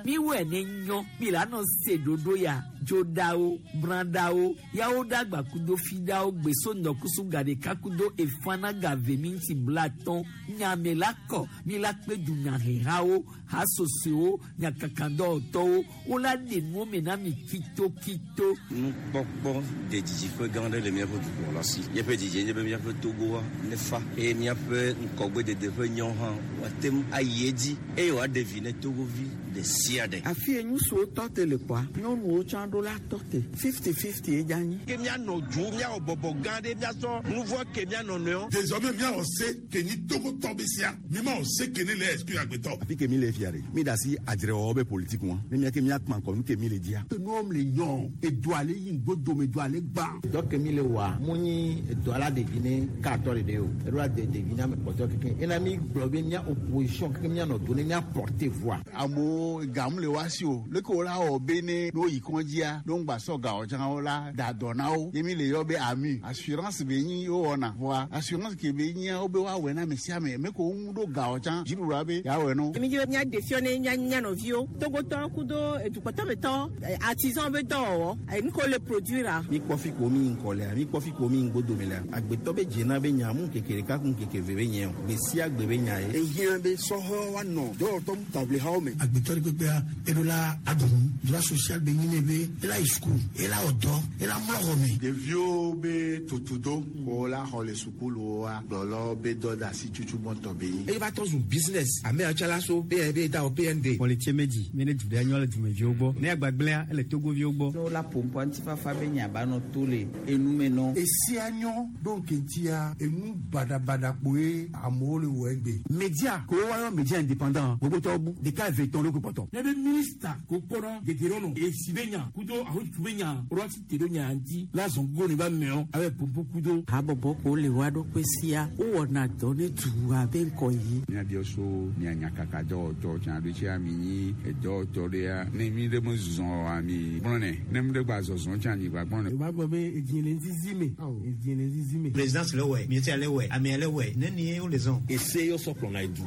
Miwɔe ne nyɔ mi la nɔ se ɖoɖo ya dzoɖawo brãɖawo yawo ɖagba kudo fiɖawo gbeso ŋdɔkusu gaɖeka kudo efana gave mi ŋuti blatɔn nyame la kɔ mi la kpe dunyahehawo hasosoewo nyakakadɔwɔtɔwo wola ɖe nuwo me na mi kitokito. Nukpɔkpɔ de didiƒe gã aɖe le míaƒe dukplɔla si. Míaƒe didie nye be míaƒe Togoa nefa eye míaƒe ŋgɔgbedede ƒe nyawo hã woate ŋu ayi edzi eye wòaɖe vi ne Togovi ɖe sia ɖe. Afi ye ŋutsuwo tɔ te le kpɔa, nyɔnuwo tsã ɖo la tɔ te. Fifty-fifty ye dze anyi. Ke míanɔ du, míawɔ bɔbɔ gã ɖe, míasɔ nuvɔ̃ ke mía nɔnɔewo. Désormais míawɔ se ke nyi Togotɔ be sia, mímawɔ se ke ne le exclure agbetɔ. Afi ke mi le fia ɖe, mi da asi adzrewɔwɔ be politique ŋua, ne mía ke mía kpã ŋkɔ nu ke mi le dzia. Enuwo le nyɔ, edua le yi ŋgbodome, edua le gbã. Dɔ ke mi le wɔa, mu nyi edɔa la ɖevi ne katɔ ɖeɖe o, eɖo la de ɖevi na ame kpɔtɔe kekeŋ. Ena mi gblɔ be mía opposition kekeŋ mía nɔ do ne mía porter voix. Amewo gamu le woa si o, leke wo la wɔ be ne ne woyi kɔdzia, ne woŋgba sɔ gawo tsã wo la da dɔ na wo. Ye mi le yɔ be AMU, assurance be nyi wowɔna. Vɔa assurance ke be nyia wo be woawɔe na ame sia ame. Me ko woŋu ɖo gawo tsã, dziɖuɖua be yeawɔe na wo. Mi dzi be míaɖe fiɔ ne mía mía nɔviwo, Togotɔwo kudo edukpɔtɔmetɔwo, artisan be dɔwɔwɔ, nu ke wole produire-a. Mi kpɔ fi ko mi yi ŋkɔ lea, mi kpɔ fi ko mi yi ŋgbodome lea, agbetɔ be dzena be nya mu ŋkeke ɖeka ku ŋkeke ve be nye o, gbe sia gbe be nya ye. Ehiã be sɔhɛwo woanɔ dɔwɔtɔ taʋlihawo me. Agbetɔ ɖe kpekpea, eɖo la aɖu nu. Droit social be nyi nɛ be ela yi suku, ela wɔ dɔ, ela mlɔ xɔ me. Ɖeviwo be tutudo ko la xɔ le sukuluwoa, kplɔlawo be dɔdeasi tutu gbɔtɔ be nyi. Eye va trɔ zu business. Ame yawo tsã la so PNB da wɔ PND. Kpɔlitse medzi mi ne du ɖe nyɔ le dumeviwo gbɔ. Ne agbagblẽa ele Togoviwo gbɔ. Ne wola ƒoƒua ŋutifafa be nya ba nɔ to le enu me nɔ. Esia nyɔ ɖo ŋkeŋtia enu baɖabaɖa kpoe amewo le wɔ egbe. Media ko woayɔ media indépendant gbogbotɔwo bu ɖeka eve etɔ̃ ɖo kpɔtɔ. Ne be minista ko kpɔnɔ gege ɖo nɔ esi be nya kudo ahotutu be nya ɖo asi te ɖo nya ŋuti la zɔn go ne ba mɛɔ abe popo kudo. Habɔbɔ ko le woa ɖokui sia wowɔna dɔ ne dua be ŋkɔ yi. Míabiɔ so mía nyakaka dɔwɔtɔ tsã ɖo tsia mi nyi edɔwɔtɔ ɖea ne mi ɖe me zɔzɔ oa mi gblɔnɛ ne mi ɖe gba zɔzɔ tsã mi gba gblɔnɛ. Yorùbá gbọ́ pé èjì lè ń zizi mi èjì lè ń zizi mi. Présidence le wɛ, mieti le wɛ, amea le wɛ, ne nie wo le zɔn. Ese yɔ sɔ kplɔna edu.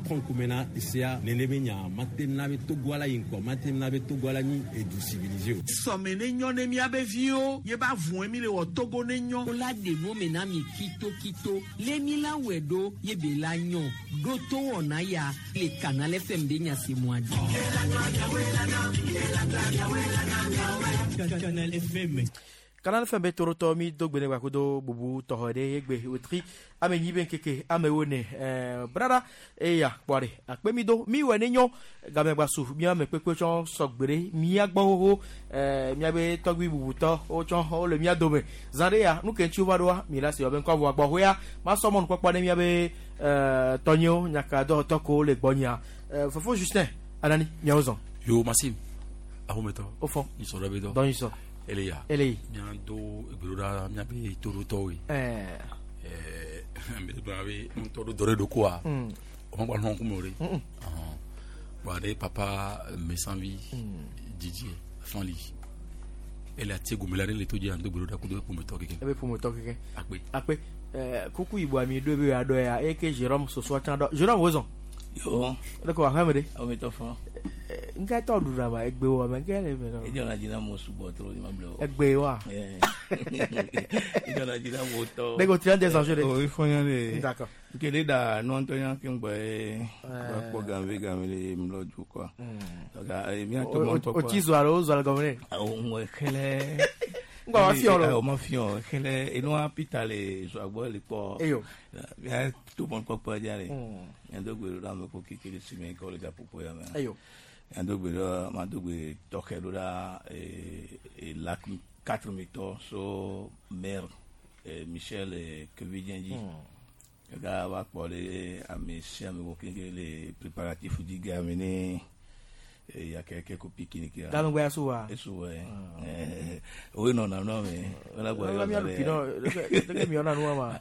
Kɔn kumena esea nene be nya mate na be Togo ala yi ŋkɔ mate na be Togo ala nyi edu civilisé o. Sɔme ne nyɔ ne miabe viwo ye ba vɔe mi le wɔ Togo ne nyɔ. Wola ɖe nu me na mi kitokito le mi la wɔe ɖo ye be la nyɔ ɖo to wɔna ya le Canal FM be nya se mua dzi. Canal FM. Canal FM be torotɔ mi do gbe ne gbakodo bubu tɔxɔ ɖe egbe wetri ame nyi be ŋkeke amewo ne brada eya kpɔ ɖe akpe mi do mi wɔ ne nyɔ game gbasu mía ame kpekpe tsɔ sɔgbe ɖe mía gbɔ xoxo míabe tɔgbi bubutɔ wotsɔ wole mía dome zã ɖe ya nu ke ŋuti wova ɖoa mi la si wɔ be ŋkɔ vɔ gbɔ xoya masɔ mɔnukpɔkpɔ ne míabe tɔnyewo nyakadɔwɔtɔ ko le gbɔnyia fofo Justin Anani miawo zɔn. Yo Maxime ahometɔ. O fɔ. Nyisɔ ɖe be dɔ. Dɔ nyisɔ. Eleya. Eleyi. Míado egbeɖoɖa míabe toɖotɔwoe. Ɛɛ. Ɛɛ mi gblɔ be ŋutɔ ɖo dɔ ɖe ɖo koa. O ma gba nɔ ŋkume o ɖe. Bɔn aɖe papa mesanvi dzidzi fanli. Ele ati gome la ɖe le to dzi ando gbeɖoɖa kudo ƒometɔ keke. Ebe ƒometɔ keke. Akpe. Akpe. Kuku yibɔ ami ɖo ebe aɖɔ ya eke Jérôme sosoa tsã ɖɔ. Jérôme wozɔn. Yo. Le ko aƒeme ɖe. Awometɔ fɔ. Ŋka tɔ ɖu ɖa ma egbe wɔ me ŋka le me nɔ. Edzɔ na dzi na mo sugbɔ trɔ ni ma ble o. Egbe wa. Edzɔ na dzi na mo tɔ. Ne ko tiɲɛ tɛ sanso de. O i fɔ ɲa de. D'accord. Kele da nɔntɔ ɲa ke ŋgbɛ ye. Ba kpɔ ganve ganve le mlɔ du quoi. Donc mi a to mɔ tɔ O ti zɔ alo o zɔ gɔmɛ ne. Awɔ ŋwɛ xɛlɛ. Ŋgbɛ wa fiɔ lɔ. O ma fiɔ xɛlɛ enua Peter le zɔ agbɔ le kpɔ. Eyo. Mi a to mɔ kpɔkpɔ dza le. Mi a do gbe ɖo ame ko keke le si me kɔ le gaƒoƒo ya me. Eyo. Mi a do gbe ɖo ma do gbe tɔxɛ ɖo ɖa lac 4 mitɔ so maire Michel Kevidien dzi. Kaka va kpɔ ɖe ame sia ame ko keke le préparatif dzi game ne yakeke ko pique-nique. Game gbe asu wa. Esu wɛ. O ye nɔna nua me. O la gbɔ yɔ. Mi alu pinɔ leke mi yɔna nua ma.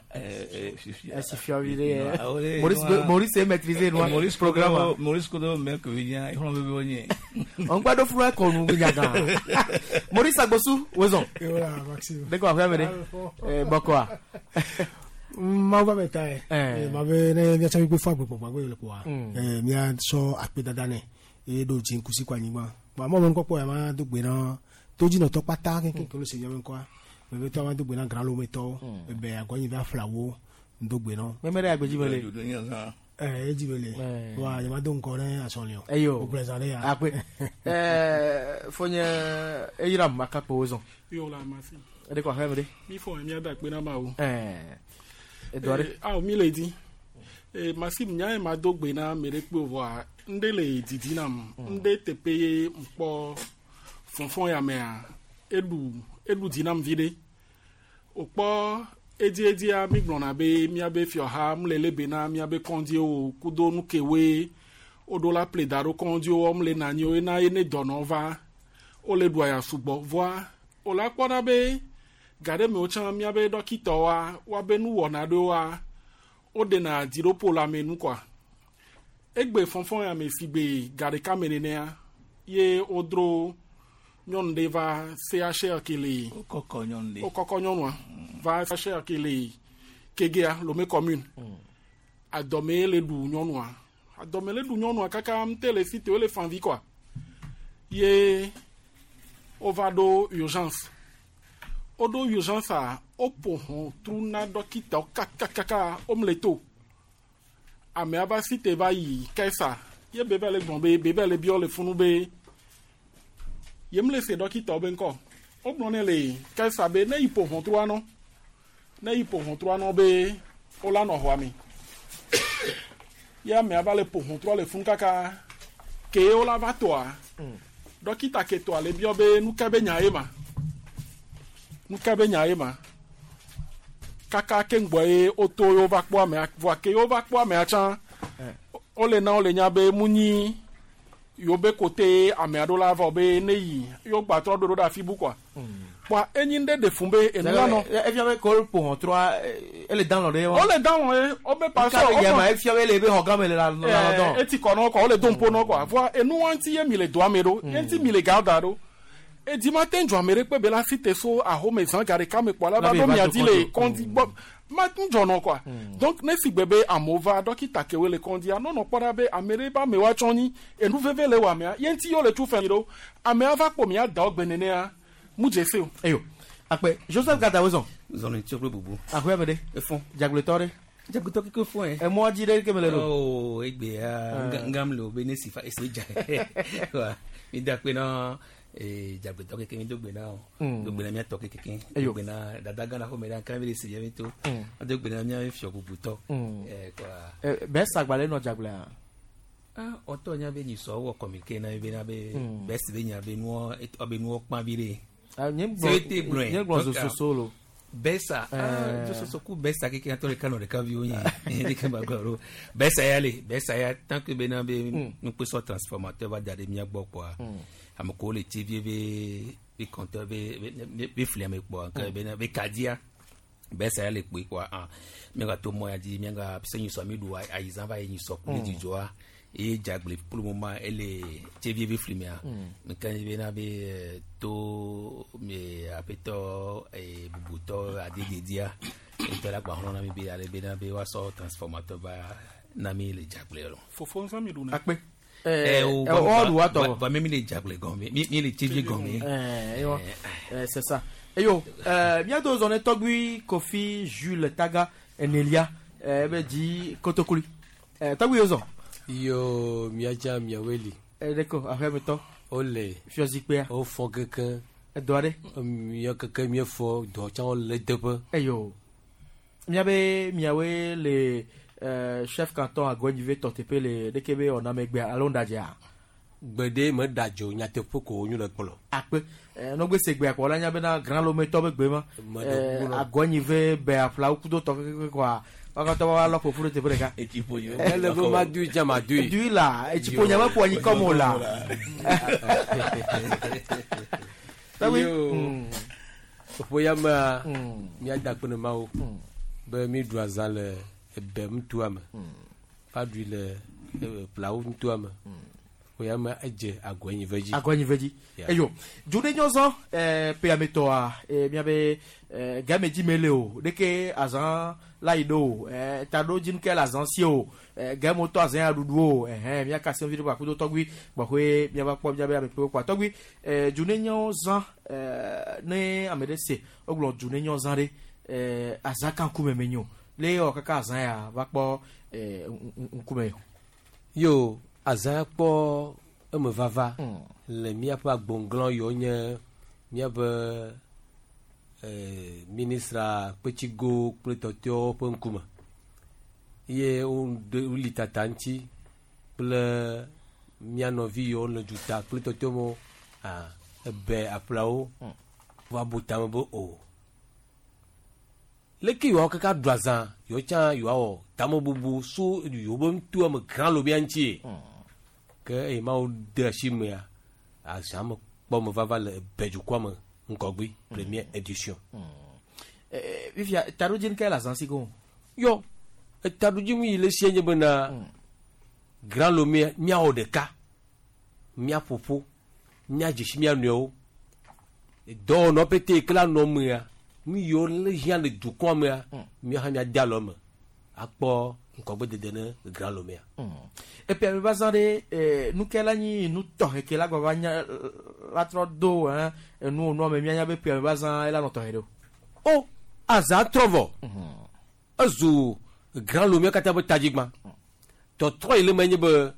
Sifia. Sifia vi ɖe. Maurice Maurice est maîtrisé nua. Maurice programme. Maurice kodo mɛ Kevidien exlɔ bɛ bɛ nye. On gba do furu akɔnu nyaga. Maurice Agbosu wozɔn. Yola Maxime. Deko aƒe me ɖe. Bɔkɔa. Mawu ba bɛ ta ye. Ma bɛ ne miatsɔ mi gbe fɔ agbekpɔkpɔ agbe le kpoa. Miatsɔ akpedada nɛ. Ye ɖo dziŋkusi kɔ anyigba. Bon amewo me nukpɔkpɔ ya ma do gbe na todzinɔtɔ kpata keŋkeŋ ke lo se miabe ŋkɔa. Vevitɔ ma do gbe na grãlometɔwo. Ebe agɔnyi va flawo do gbe na. Meme ɖe agbedzi me le. Edzi me le. Wa nye ma do ŋkɔ ne asɔli o. Eyo. O gblẽ zã ɖe ya. Akpe. Fonye eyram makakpo zɔn. Yo la masi. Eɖe kɔ axeme ɖe. Mi fɔ mi ada akpe na ma o. Edɔ ɖe. Awo mi le di. Masi nya ye ma do gbe na ame ɖe kpe vɔa ŋɖe le didi nam. Ŋɖe teƒe ye ŋkpɔ fɔnfɔn ya mea eɖu di nam vi ɖe. Wòkpɔ edzedzia mi gblɔna be miabe fiɔha mu le lebe na miabe kɔndziwo kudo nu kewoe woɖo la ple da ɖo kɔndziwo mu le na anyi wo ena ye ne dɔnɔ va wole ɖu aya sugbɔ vɔa wòla kpɔna be ga ɖe mewo tsã miabe dɔkitɔwoa woabe nuwɔna ɖewoa woɖena dziɖoƒo le ame nu kɔa egbe fɔnfɔn ya me si gbe ga ɖeka me nenea ye wodro nyɔnu ɖe va CHR ke le wokɔkɔ nyɔnu ɖe wokɔkɔ nyɔnua va CHR ke le Kegea Lomé commune adɔme le ɖu nyɔnua adɔme le ɖu nyɔnua kaka ŋute le si te wole fanvi kɔa ye wova ɖo urgence woɖo urgence a woƒo ʋɔtru na dɔkitawo kakakaka womle to amea va si te va yi kɛsa ye bebe le gblɔ be bebe le biɔ le funu be yem le se dɔkitawo be ŋkɔ wogblɔ nɛ le kɛsa be ne yi ƒo ʋɔtrua nɔ ne yi ƒo ʋɔtrua nɔ be wola nɔ xɔa me ye amea va le ƒo ʋɔtrua le funu kaka ke wola va tɔa dɔkita ke tɔa le biɔ be nu ke be nya ye ma nu ke be nya ye ma kaka ke ŋgbɔ ye woto ye wova kpɔ amea vɔa ke wova kpɔ amea tsã wole na wole nya be mu nyi yewo be kote amea ɖo la vɔ be ne yi yewo gbatrɔ ɖo ɖo ɖe afi bu kɔa kpɔa enyi ŋɖe ɖe fun be enu la nɔ. Efia be ko ƒo ʋɔtrua ele dan lɔ ɖe wa. Wole dan lɔ ye wobe parce que. Nka be efia be ele be xɔ gã me le la lɔ dɔn. Eti kɔ nɔ kɔ wole do ŋpo nɔ kɔa vɔa enu wa ŋuti ye mi le doa me ɖo ye ŋuti mi le ga da ɖo edi ma te ŋdzɔ ame ɖe kpe be la si te so ahome zã ga ɖeka me kpɔ la va ɖo mia dzi le kɔndzi gbɔ ma ŋdzɔ nɔ kɔa donc ne si gbe be amewo va dɔkita kewoe le kɔndzia nɔnɔ kpɔ ɖa be ame ɖe be amewoa tsɔ nyi enu veve le wɔ amea ye ŋuti ye wole tu fɛn ɖo amea va kpɔ mia da wo gbe nenea mu dze se o. Eyo akpe Joseph Gada wo zɔn. Zɔn tso kple bubu. Ahoe me ɖe. Efɔn. Dzagblẽtɔ ɖe. Dzagblẽtɔ keke fɔn yɛ. Emɔ dzi ɖe ke me le ɖo. Oo egbea ngam le o be ne si fa esi dza. Wa mi da kpe na dzagblẽtɔ keke mi do gbe na o. Do gbe na miatɔ keke. Do gbe na dada gã na xɔme ɖe kan mi le si mi to. Do gbe na mia fiɔ bubutɔ. Kɔa. Bɛ sagbalẽ nɔ dzagblẽa. Ah ɔtɔ nya be nyisɔ wɔ communiquer na be na be bɛ si be nya be nuɔ be nuɔ kpã vi ɖe. Nye gblɔ zososo lo. Bɛsa zososo ku bɛsa keke atɔ ɖeka nɔ ɖeka viwo nye ɖeka ba gblɔ ɖo bɛsa ya le bɛsa ya tant que bena be nukpesɔ transformateur va da ɖe mía gbɔ kpɔa ame kewo le tsi vie be compteur be flia me kpɔa ke bena be kadia bɛsa ya le kpoe kpɔa ah míaga to mɔ ya dzi míaga se nyisɔ mi ɖu ayizã va yi nyisɔ ku le dzidzɔa eye dzagble pour le moment ele tse vie be fli mea nka bena be to me aƒetɔ bubutɔ adededia ŋutɔ la gbahlɔ na mi be ale bena be woasɔ transformateur va na mi le dzagble lɔ. Fofo ŋsã mi ɖu na. Akpe. Ɔ ɖu wa tɔ. Va mi le dzagble gɔme mi le tse vie gɔme. C'est ça. Eyo miado zɔn ne tɔgbui Kofi Jules Taga Enelia ebe dzi kotokuli. Tɔgbui yozɔn. Yo miadza miaweli. Ɖeko aƒemetɔ. Ole. Fiɔzikpea. Wofɔ keke. Edɔ aɖe. Mía keke míefɔ dɔ tsã wole teƒe. Eyo. Miabe miawoe le chef canton Agɔnyive tɔ teƒe le ɖeke be wɔna megbea alo ŋɖadzea. Gbeɖe meɖa dzo nyateƒe ko wonyo le kplɔ. Akpe. Nɔgbe se gbea kpɔ la nya bena Grand Lomé tɔ be gbe ma. Agɔnyive be aƒlawo kudo tɔ keke kɔa. Wakatɔ wa lɔ ƒoƒu ɖe teƒe ɖeka. Ele be ma dui dza ma dui. Dui la etsiƒo nya me ƒo anyi kɔm o la. Yo. Ƒo ya mea míada akpe ne Mawu be mi ɖu azã le ebe ŋutua me. Va ɖui le Plawo ŋutua me. Ƒe me edze Agɔnyive dzi. Agɔnyive dzi. Yeah. Eyo, dzoɖenyɔzɔ ƒeametɔa miabe game dzi mele o, ɖeke azã la yi ɖo o, taɖo dzi nuke le azã si o, game wotɔ azã ya ɖuɖu o, ɛhɛn miaka se vi ɖe kpakudo tɔgbi gbɔxɔe miava kpɔ miabe ame kpewo kpa tɔgbi dzoɖenyɔzã ne ame ɖe se wogblɔ dzoɖenyɔzã ɖe azã kan ŋkume menyo le yɔ kaka azã ya va kpɔ ŋkume o. Yo, azã kpɔ eme vava le míaƒe agbonglɔ yiwo nye míaƒe ministra kpetsigo kple tɔtɔewo ƒe ŋkume ye woli tata ŋuti kple mía nɔvi yiwo le duta kple tɔtɔewo ebe aƒlawo va bu tame be o leke yewoa kaka ɖu azã yewo tsã yewoawɔ tamebubu so yewo be ŋutoa me gã lobia ŋutie ke eye mawo de asi mea azã me kpɔ me vava le ebe dukɔa me ŋgɔgbe première édition. Fifia taɖodzinu ke le azã si go. Yɔ etaɖodzinu yi le sie nye bena Grand Lomé míawɔ ɖeka míaƒoƒo míadzesi mía nɔewo dɔwɔnɔ pete yi ke la nɔ mea nu yiwo le hiã le dukɔa mea míawo hã míade alɔ me akpɔ ŋgɔgbedede ne Grand Lomea. Eƒe ame va zã ɖe nu ke la nyi nu tɔxɛ ke la gbava nya la trɔ do enu nua me míanya be ƒe ame va zã ela nɔ tɔxɛ ɖe o. O azã trɔ vɔ ezu Grand Lomé katã be tadzigba tɔtrɔ yi le me nye be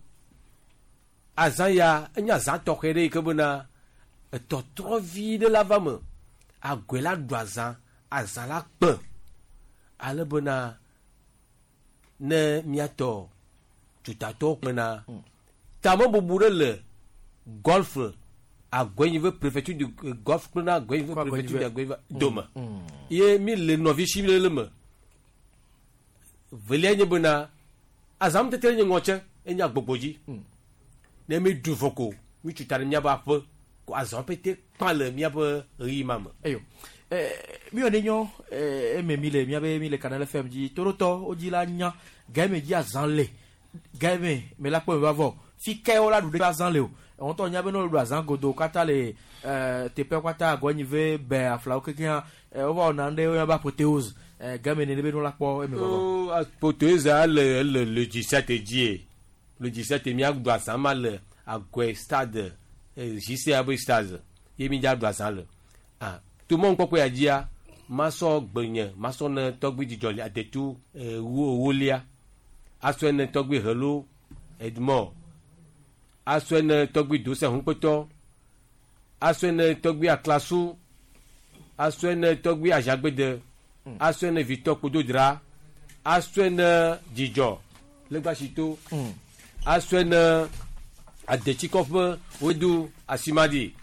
azã ya enye azã tɔxɛ ɖe yi ke bena etɔtrɔ vi ɖe la va me agɔe la ɖu azã azã la kpe ale bena ne míatɔ dutatɔwo kpena tamebubu ɖe le golf Agɔnyive préfecture du golf kple na Agɔnyive préfecture du Agɔnyive dome ye mi le nɔvi si le le me velia nye bena azãmutete nye ŋɔtse enye agbogbo dzi ne mi ɖu vɔ ko mi tu ta ɖe míaƒe aƒe ko azã pete kpã le míaƒe ɣeyiɣi ma me. Eyo mi wɔ ne nyɔ eme mi le miabe mi le Canal FM dzi torotɔ wodzi la nya game dzi azã le game me la kpɔ me va vɔ fi ke wo la ɖu ɖe azã le o wɔntɔ nya be ne wo ɖu azã godo katã le teƒe katã Agɔnyive bɛ aflawo kekeŋ wova wɔna nu ɖe woyɔna be apothéose game ne be ne wo la kpɔ eme vɔ. Apothéose le le le 17 dzi le 17 míaɖu azã ma le Agɔe stade JCA be stade ye mi dza ɖu azã le ah to mɔ ŋkpɔkpɔ ya dzia masɔ gbenye masɔ ne tɔgbi dzidzɔ adetu ewolia asɔe ne tɔgbi helo Edmond asɔe ne tɔgbi dose hunkpetɔ asɔe ne tɔgbi aklasu asɔe ne tɔgbi azagbede asɔe ne vitɔ kpododra asɔe ne dzidzɔ legbasito asɔe ne adetsikɔƒe wodu asimadi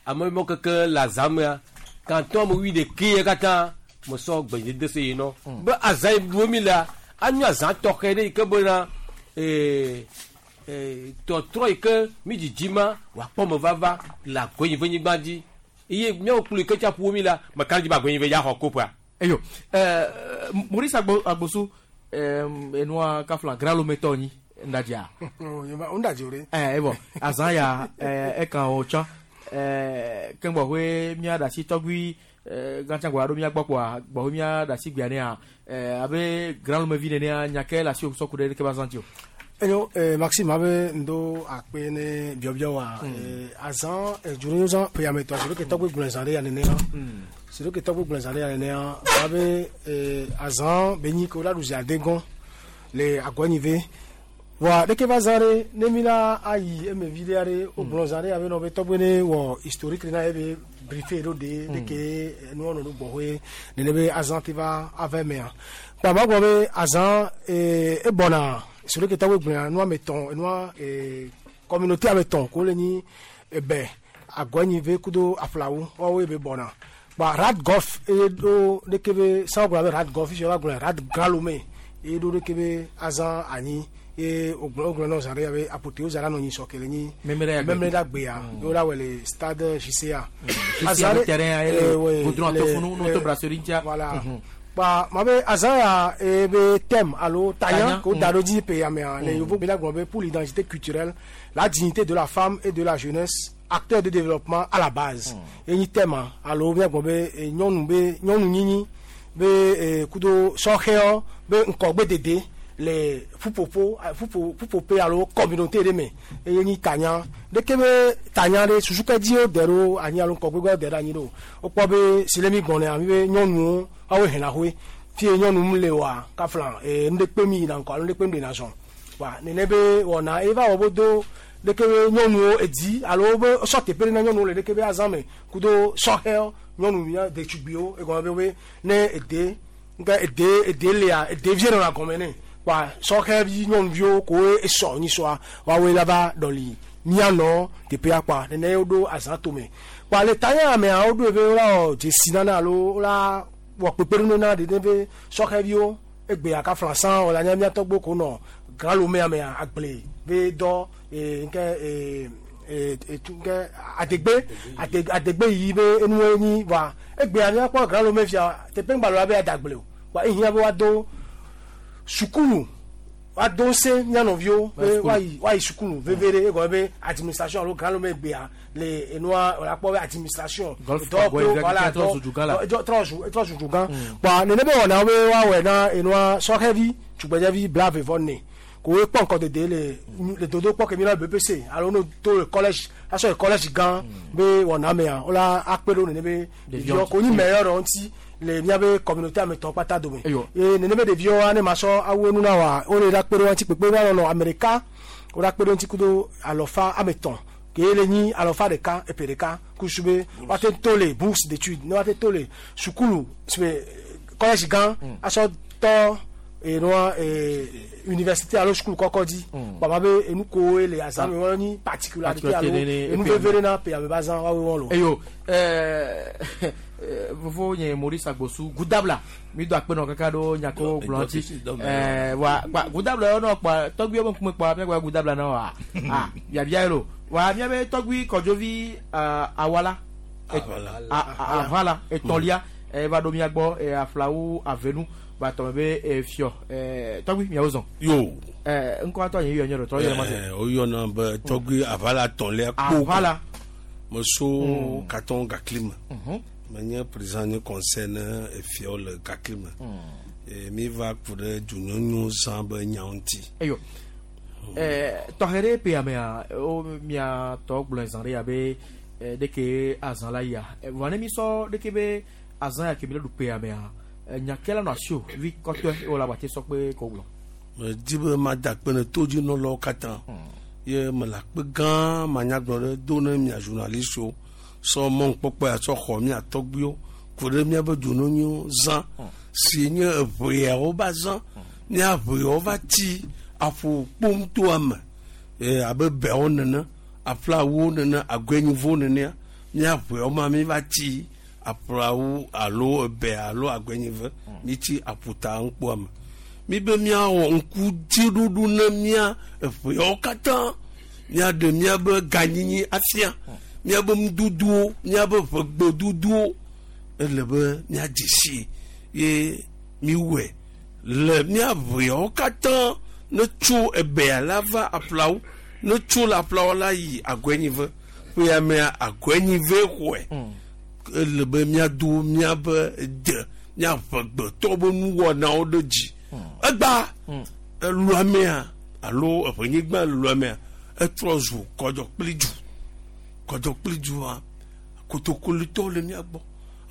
ame mɔ keke le azãmea kantɔn ame wi ɖeke ye katã mesɔ gbenyede se yi nɔ be azã yi ɖu mi la anyo azã tɔxɛ ɖe yi ke bena tɔtrɔ yi ke mi dzidzi ma wòakpɔ me vava le Agɔnyive nyigba dzi eye míawo kplɔ yi ke tsa ƒo mi la meka dzi be Agɔnyive ya xɔ koƒea. Eyo Maurice Agbosu enua kafla Grand Lomé tɔ nyi ndadzia. Ndadzi o ɖe. Ebɔ azã ya ekan o tsã keŋgbɔ hoe mía ɖe asi tɔgbi gãtsa gbɔ aɖo mía gbɔ kpoa gbɔ hoe mía ɖe asi gbea nea abe Grand Lomé vi nenea nya ke le asi sɔ ku ɖe ɖeke ba zã dzi o. Enyo Maxime abe ndo akpe ne biɔbiɔ wa azã dzroyozã ƒeyametɔ si ɖo ke tɔgbe gblɔ zã ɖe ya nenea si ɖo ke tɔgbe gblɔ zã ɖe ya nenea abe azã be nyi ke wo la ɖu zi ade gɔn le Agɔnyive voa ɖeke va zã ɖe ne mi la ayi eme vi ɖe aɖe wogblɔ zã ɖe abe nɔ be tɔgbe ne wɔ historique na ye be briefé ɖo ɖe ɖeke nuwɔ nɔ ɖo gbɔxɔe nene be azã te va ava emea kpa ma gblɔ be azã ebɔna si ɖo ke tɔgbe gblɔa nua me tɔn nua communauté ame tɔn ko le nyi ebe Agɔnyive kudo aflawo woawoe be bɔna kpa Rad Golf eye ɖo ɖeke be sanwó gblɔ be Rad Golf fi wa gblɔ Rad Grand Lomé eye ɖo ɖeke be azã anyi ye wogblɔ nɔ zã ɖe abe apothéose la nɔ nyi sɔ ke le nyi memleɖa gbea ye wola wɔ le stade JCA azã ɖe terrain goudron atofunu no to brasserie ŋutia voilà. Kpa ma be azã ya ebe thème alo tanya Tanya, ko da ɖo dzi ƒe ya mea le yevu gbe la gblɔ be pour l'identité culturelle, la dignité de la femme et de la jeunesse, acteur de développement à la base. Enyi thème alo míagblɔ be nyɔnu be nyɔnu nyinyi be kudo sɔhɛwo be ŋkɔgbedede le ƒuƒoƒo ƒuƒo ƒuƒoƒe alo communauté ɖe me eye nyi tanya ɖeke be tanya ɖe susu ke dzi wo de ɖo anyi alo ŋkɔgbegbe wo de ɖe anyi ɖo wokpɔ be si le mi gbɔnea mi be nyɔnuwo woawoe hena hoe fie nyɔnu mu le oa kafla nu ɖe kpe mi yina ŋkɔ alo nu ɖe kpe mi ɖena zɔn wa nene be wɔna eva wɔ bo do ɖeke be nyɔnuwo edi alo be sɔ teƒe ɖe na nyɔnuwo le ɖeke be azã me kudo sɔhɛwo nyɔnu ya ɖetugbiwo egɔme be be ne ede nke ede ede lia ede vie nɔna gɔme nɛ wa sɔhɛvi nyɔnuviwo koe esɔ nyisɔa woawoe la va ɖɔli mianɔ teƒea kpa nene woɖo azã tome kpa le tanya mea woɖoe be wola wɔ dzesi nana alo wola wɔ kpekpeɖeŋu na ɖe be sɔhɛviwo egbea kafla sã wòle anya mía tɔgbo ko nɔ grãlomea mea agble be dɔ nke etu nke adegbe adegbe yiyi be enuwo nyi wa egbea míakpɔ grãlome fia teƒe ŋgba la be adagble o wa ehiã be woado sukulu woado ŋusẽ mía nɔviwo be woayi woayi sukulu veve ɖe egɔme be administration alo grãlome gbea le enua wòle akpɔ be administration Golf dɔwɔƒewo, Park, voilà, trɔ zu dugã la. trɔ zu dugã kpa nene be wɔnawo be woawɔe na enua sɔhɛvi tugbedzɛvi 29 ko wo kpɔ ŋkɔdede le le dodokpɔ ke mi la BEPC alo no to le collège asɔ le collège gã be wɔna mea wola akpe ɖo nene be ɖeviwo ko nyi meilleur ɖewo ŋuti le míabe communauté ametɔn kpata dome ye nene be ɖeviwo ne ma sɔ awu enu na wa wole la kpe ɖo ŋuti kpekpe va nɔnɔ ame ɖeka wola kpe ɖo ŋuti kudo alɔfa ametɔn ke le nyi alɔfa ɖeka epe ɖeka kusu be woate to le bourse d'études ne woate to le sukulu sebe collège gã asɔ tɔ enua université alo sukulu kɔkɔ dzi baba be enu kowoe le azã me wɔn nyi particularité alo enu veve ɖe na ƒe ame be azã woawoe wɔn lo. Eyo fofo nye Maurice Agbosu gudabla mi do akpe nɔ kaka ɖo nyako gblɔ ŋuti wa kpa gudabla yɔ nɔ kpa tɔgbi wo ŋkume kpa miagba gudabla na wa ah biabia ye lo wa miabe tɔgbi Kɔdzovi awala avala etɔ̃lia eva ɖo mia gbɔ aflawu avenu ba tɔme be fiɔ tɔgbi miawo zɔn. Yo. Ŋkɔ atɔ nye yɔ nye ɖo tɔ yɔ ma se. Woyɔna be tɔgbi avala tɔ̃lia kpo. Avala. Meso Katon Gakli me. Menye président nye conseil ne efiawo le Gakli me. Mi va ku ɖe dunyɔnyɔ zã be nyawo ŋuti. Eyo. Tɔxɛ ɖe ƒea mea wo mia tɔ gblɔe zã ɖe ya be ɖeke azã la yia vɔ ne mi sɔ ɖeke be azã ya ke mi le ɖu ƒea mea nya ke la nɔ asi o vi kɔtɔe wòle agbate sɔ kpe ko gblɔ. Medi be mada akpe ne todzinɔlawo katã ye mele akpe gã manyagblɔ ɖe do ne mia journalistwo sɔ mɔnukpɔkpɔ ya sɔ xɔ mia tɔgbuiwo ku ɖe míabe dzononyiwo zã si nye eʋeawo ba zã mía ʋeawo va tsi aƒo kpomtoa me abe beawo nene aƒlawo nene agɔenyivowo nenea mía ʋeawo ma mi va tsi aƒlawo alo ebe alo agɔenyive mi tsi aƒuta ŋkpoa me mi be míawɔ ŋkudziɖuɖu ne mía eʋeawo katã míaɖe míabe ganyinyi afia míabe nudodowo míabe ʋegbedodowo ele be míadze si ye miwɔe le mía ʋeawo katã ne tso ebea la va aƒlawo ne tso le aƒlawo la yi agɔenyive ƒea mea agɔenyive xɔe ele be míado míabe de míaʋegbetɔ be nuwɔnawo ɖe dzi egba eluamea alo eʋenyigba luamea etrɔ zu kɔdzɔkplidzu kɔdzɔkplidzua kotokolitɔwo le mía gbɔ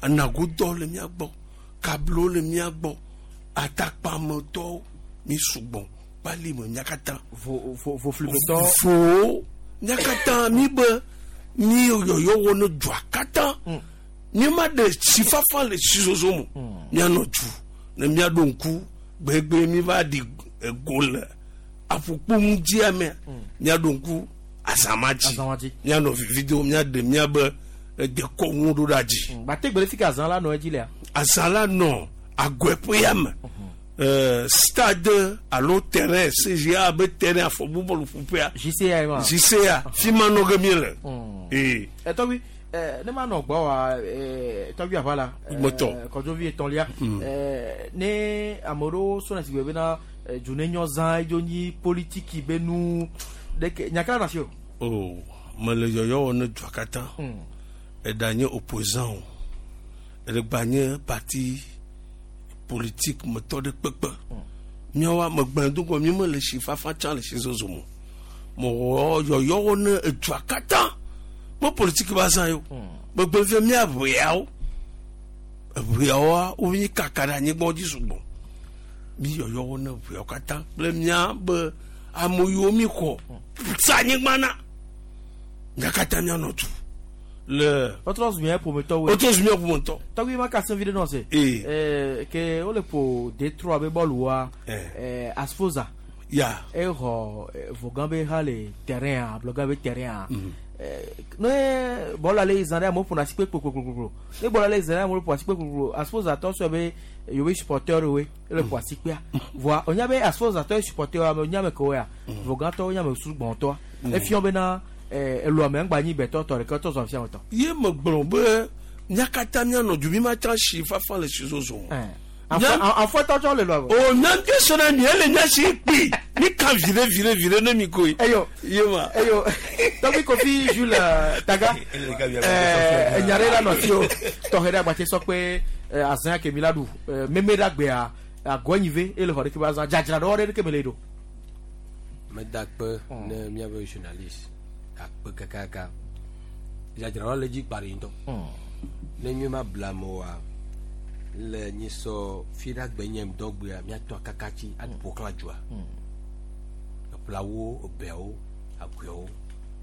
anagodɔwo le mía gbɔ kablowo le mía gbɔ atakpametɔwo mi sugbɔ kpali me mía katã voflimetɔ vowo mía katã mi be mi yɔyɔ wɔ ne dua katã mi ma ɖe tsifafa le tsizozo me mianɔ du ne miaɖo ŋku gbegbe mi va ɖi ego le aƒukpo ŋudzia mea miaɖo ŋku azama dzi mianɔ vivi dom miaɖe miabe dekɔnu ɖo ɖa dzi. Gbate gbe le fi ke azã la nɔ edzi lea. Azã la nɔ agɔeƒea me stade alo terrain CGA be terrain afɔbu bɔlu ƒuƒea. JCA ma. JCA fi ma nɔ ge mi le. Ee. Etɔgbi Ne ma nɔ gbɔ wa tɔgbi aʋa la. Gbɔtɔ. Kɔdzovi etɔ̃lia. Ne ame ɖewo sɔna si gbe bena dzonenyo zã edzo nyi politiki be nu ɖeke nyaka na si o. O mele yɔyɔ wɔ ne dua katã. Eɖa nye opposant o. Eɖegba nye parti politique metɔ ɖe kpekpe. Míawoa megblẽ do gɔ mi mele si fafa tsã le si zozo mo. Mewɔ yɔyɔ wɔ ne edua katã. Me politique ba zã yo. Megblẽ fia mía ʋeawo. Eʋeawoa wonyi kaka ɖe anyigba dzi sugbɔ. Mi yɔyɔ wɔ ne ʋeawo katã kple mía be ame yiwo mi xɔ sa anyigba na. Mía katã míanɔ du le. Wotrɔ zu mía ƒometɔwoe. Wotrɔ zu mía ƒometɔ. Tɔgbi ma ka se vi ɖe nɔ se. Ke wole ƒo D3 be bɔluwoa. Asfoza. Ya. Exɔ Vogan be ha le terrain a Blɔga be terrain a. Ne bɔlua le yi zã ɖe amewo ƒona asi kpe kpokpokpokpo. Ne bɔlua le yi zã ɖe amewo ƒo asi kpe kpokpokpo. Asfoza tɔ sɔe be yewobe supporteur woe ele ƒo asi kpea. Voa wonya be Asfoza tɔ ye supporteur ame wonya ame kewoe ya. Vogan tɔ wonya ame sugbɔtɔa. Efiɔ bena elua me ŋgba nyi gbɛtɔ tɔ ɖeke tɔ zɔ afia me tɔ. Ye megblɔ be mía katã míanɔ du mi ma tsã si fafa le si zozo me. Afɔtɔ tsɔ le lua me. O mía ŋutɔ sɔna mi ele mía si kpi mi ka viɖe viɖe viɖe ne mi koe. Eyo. Ye ma. Eyo. Tɔgbi Kofi Jules Taga. Enya ɖe la nɔ si o. Tɔxɛ ɖe agbatse sɔ kpe azã ke mi la ɖu meme ɖe agbea agɔnyive ele xɔ ɖeke be azã dzadzra ɖe ɖeke me le ɖo. Meda kpe ne míabe journaliste akpe kakaka. Dzadzraɖo le dzi kpa ɖi ŋutɔ. Ne nyuie ma bla me oa, le nyi sɔ fi ɖe agbe nye ŋdɔgbea míatɔ akakatsi aƒo xlã dzoa. Eƒlawo, ebeawo, aguiawo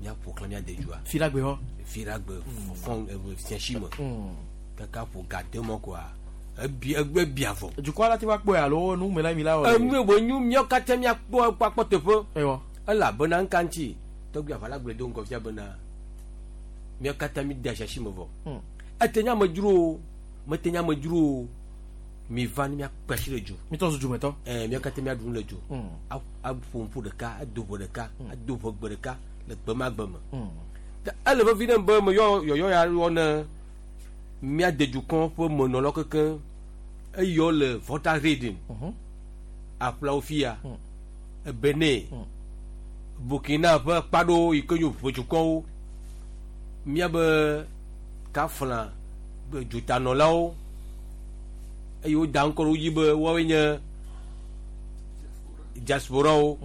míaƒo xlã míade dzoa. Fi ɖe agbe hɔ. Fi ɖe agbe fɔn fiasi me. Kaka ƒo ga de mɔ koa. Ebi egbe bia vɔ. Dukɔ la ti va kpɔe alo nu me la mi la wɔ. Enu wo nyu míawo katã míakpɔ akpɔ teƒe. Ewɔ. Elabena ŋka ŋuti tɔgbi aʋala gblɔe do ŋgɔ fia bena míawo katã mi de asiasi me vɔ. Ete nye amedzro o, mete nye amedzro o. Mi va ne míakpe asi ɖe dzo. Mi tɔ zu dzometɔ. Míawo katã míaɖu nu le dzo. Aƒo ŋku ɖeka, ado ʋe ɖeka, ado ʋe gbe ɖeka le gbe ma gbe me. Ele vevi ɖe be meyɔ yɔyɔ ya yɔ ne míade dukɔ ƒe menɔlawo kekeŋ eyɔ le Volta Region. Aƒlawo fia. Benin. Burkina ƒe kpaɖo yi ke nyo ʋe dukɔwo. Míabe kafla dzutanɔlawo eye woda ŋkɔ ɖe wo dzi be woawoe nye diasporawo.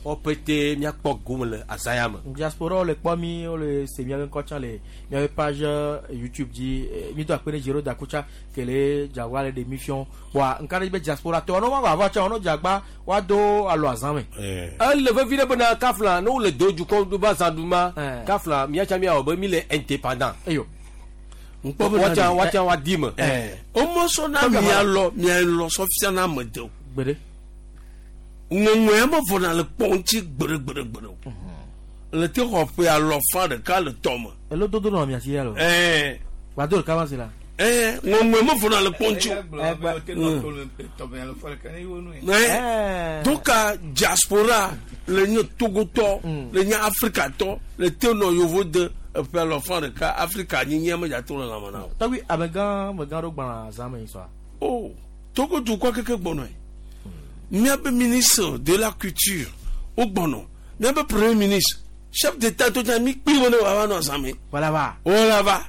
Woawo pete míakpɔ gome le azã ya me. Diasporawo le kpɔ mi, wole se míabe ŋkɔ tsã le míabe page YouTube dzi. Mi do akpe ɖe Jero Dakotsa ke le dzagba le ɖe mi fiɔ. Kpɔa ŋka ɖe be diaspora tɔ ne woava va tsã, ne dzagba woado alo azã me. Ele vevi ɖe bena kafla ne wole do dukɔ ɖo be azã ɖum ma, kafla míatsa míawɔ be mi le indépendant. Eyo. Ŋkpɔ be Woatsa woatsa woadi me. Womesɔ na mialɔ mialɔ sɔ fia na ame de o. Gbeɖe. Ŋɔŋɔe me vɔna le kpɔ ŋuti gbeɖe gbeɖe gbeɖe o. Le te xɔ ƒe alɔ fa ɖeka le tɔ me. Elo dodo nɔ mia si ya lo. Gbado ɖeka va si la. Ŋɔŋɔe me vɔna le kpɔ ŋuti o. Donc diaspora le nye Togotɔ, le nye Afrikatɔ, le te nɔ yovo de eƒe alɔ fa ɖeka Afrika nyinyi me dza to le lãme na o. Tɔgbi amegã amegã ɖo gbã zã me sɔa. O Togo dukɔ keke gbɔnɔe. Míabe ministre de la culture wo gbɔnɔ. Míabe premier ministre chef d'état to dza mi kpli wo ne wòava nɔ zã me. Wala va. Wala va.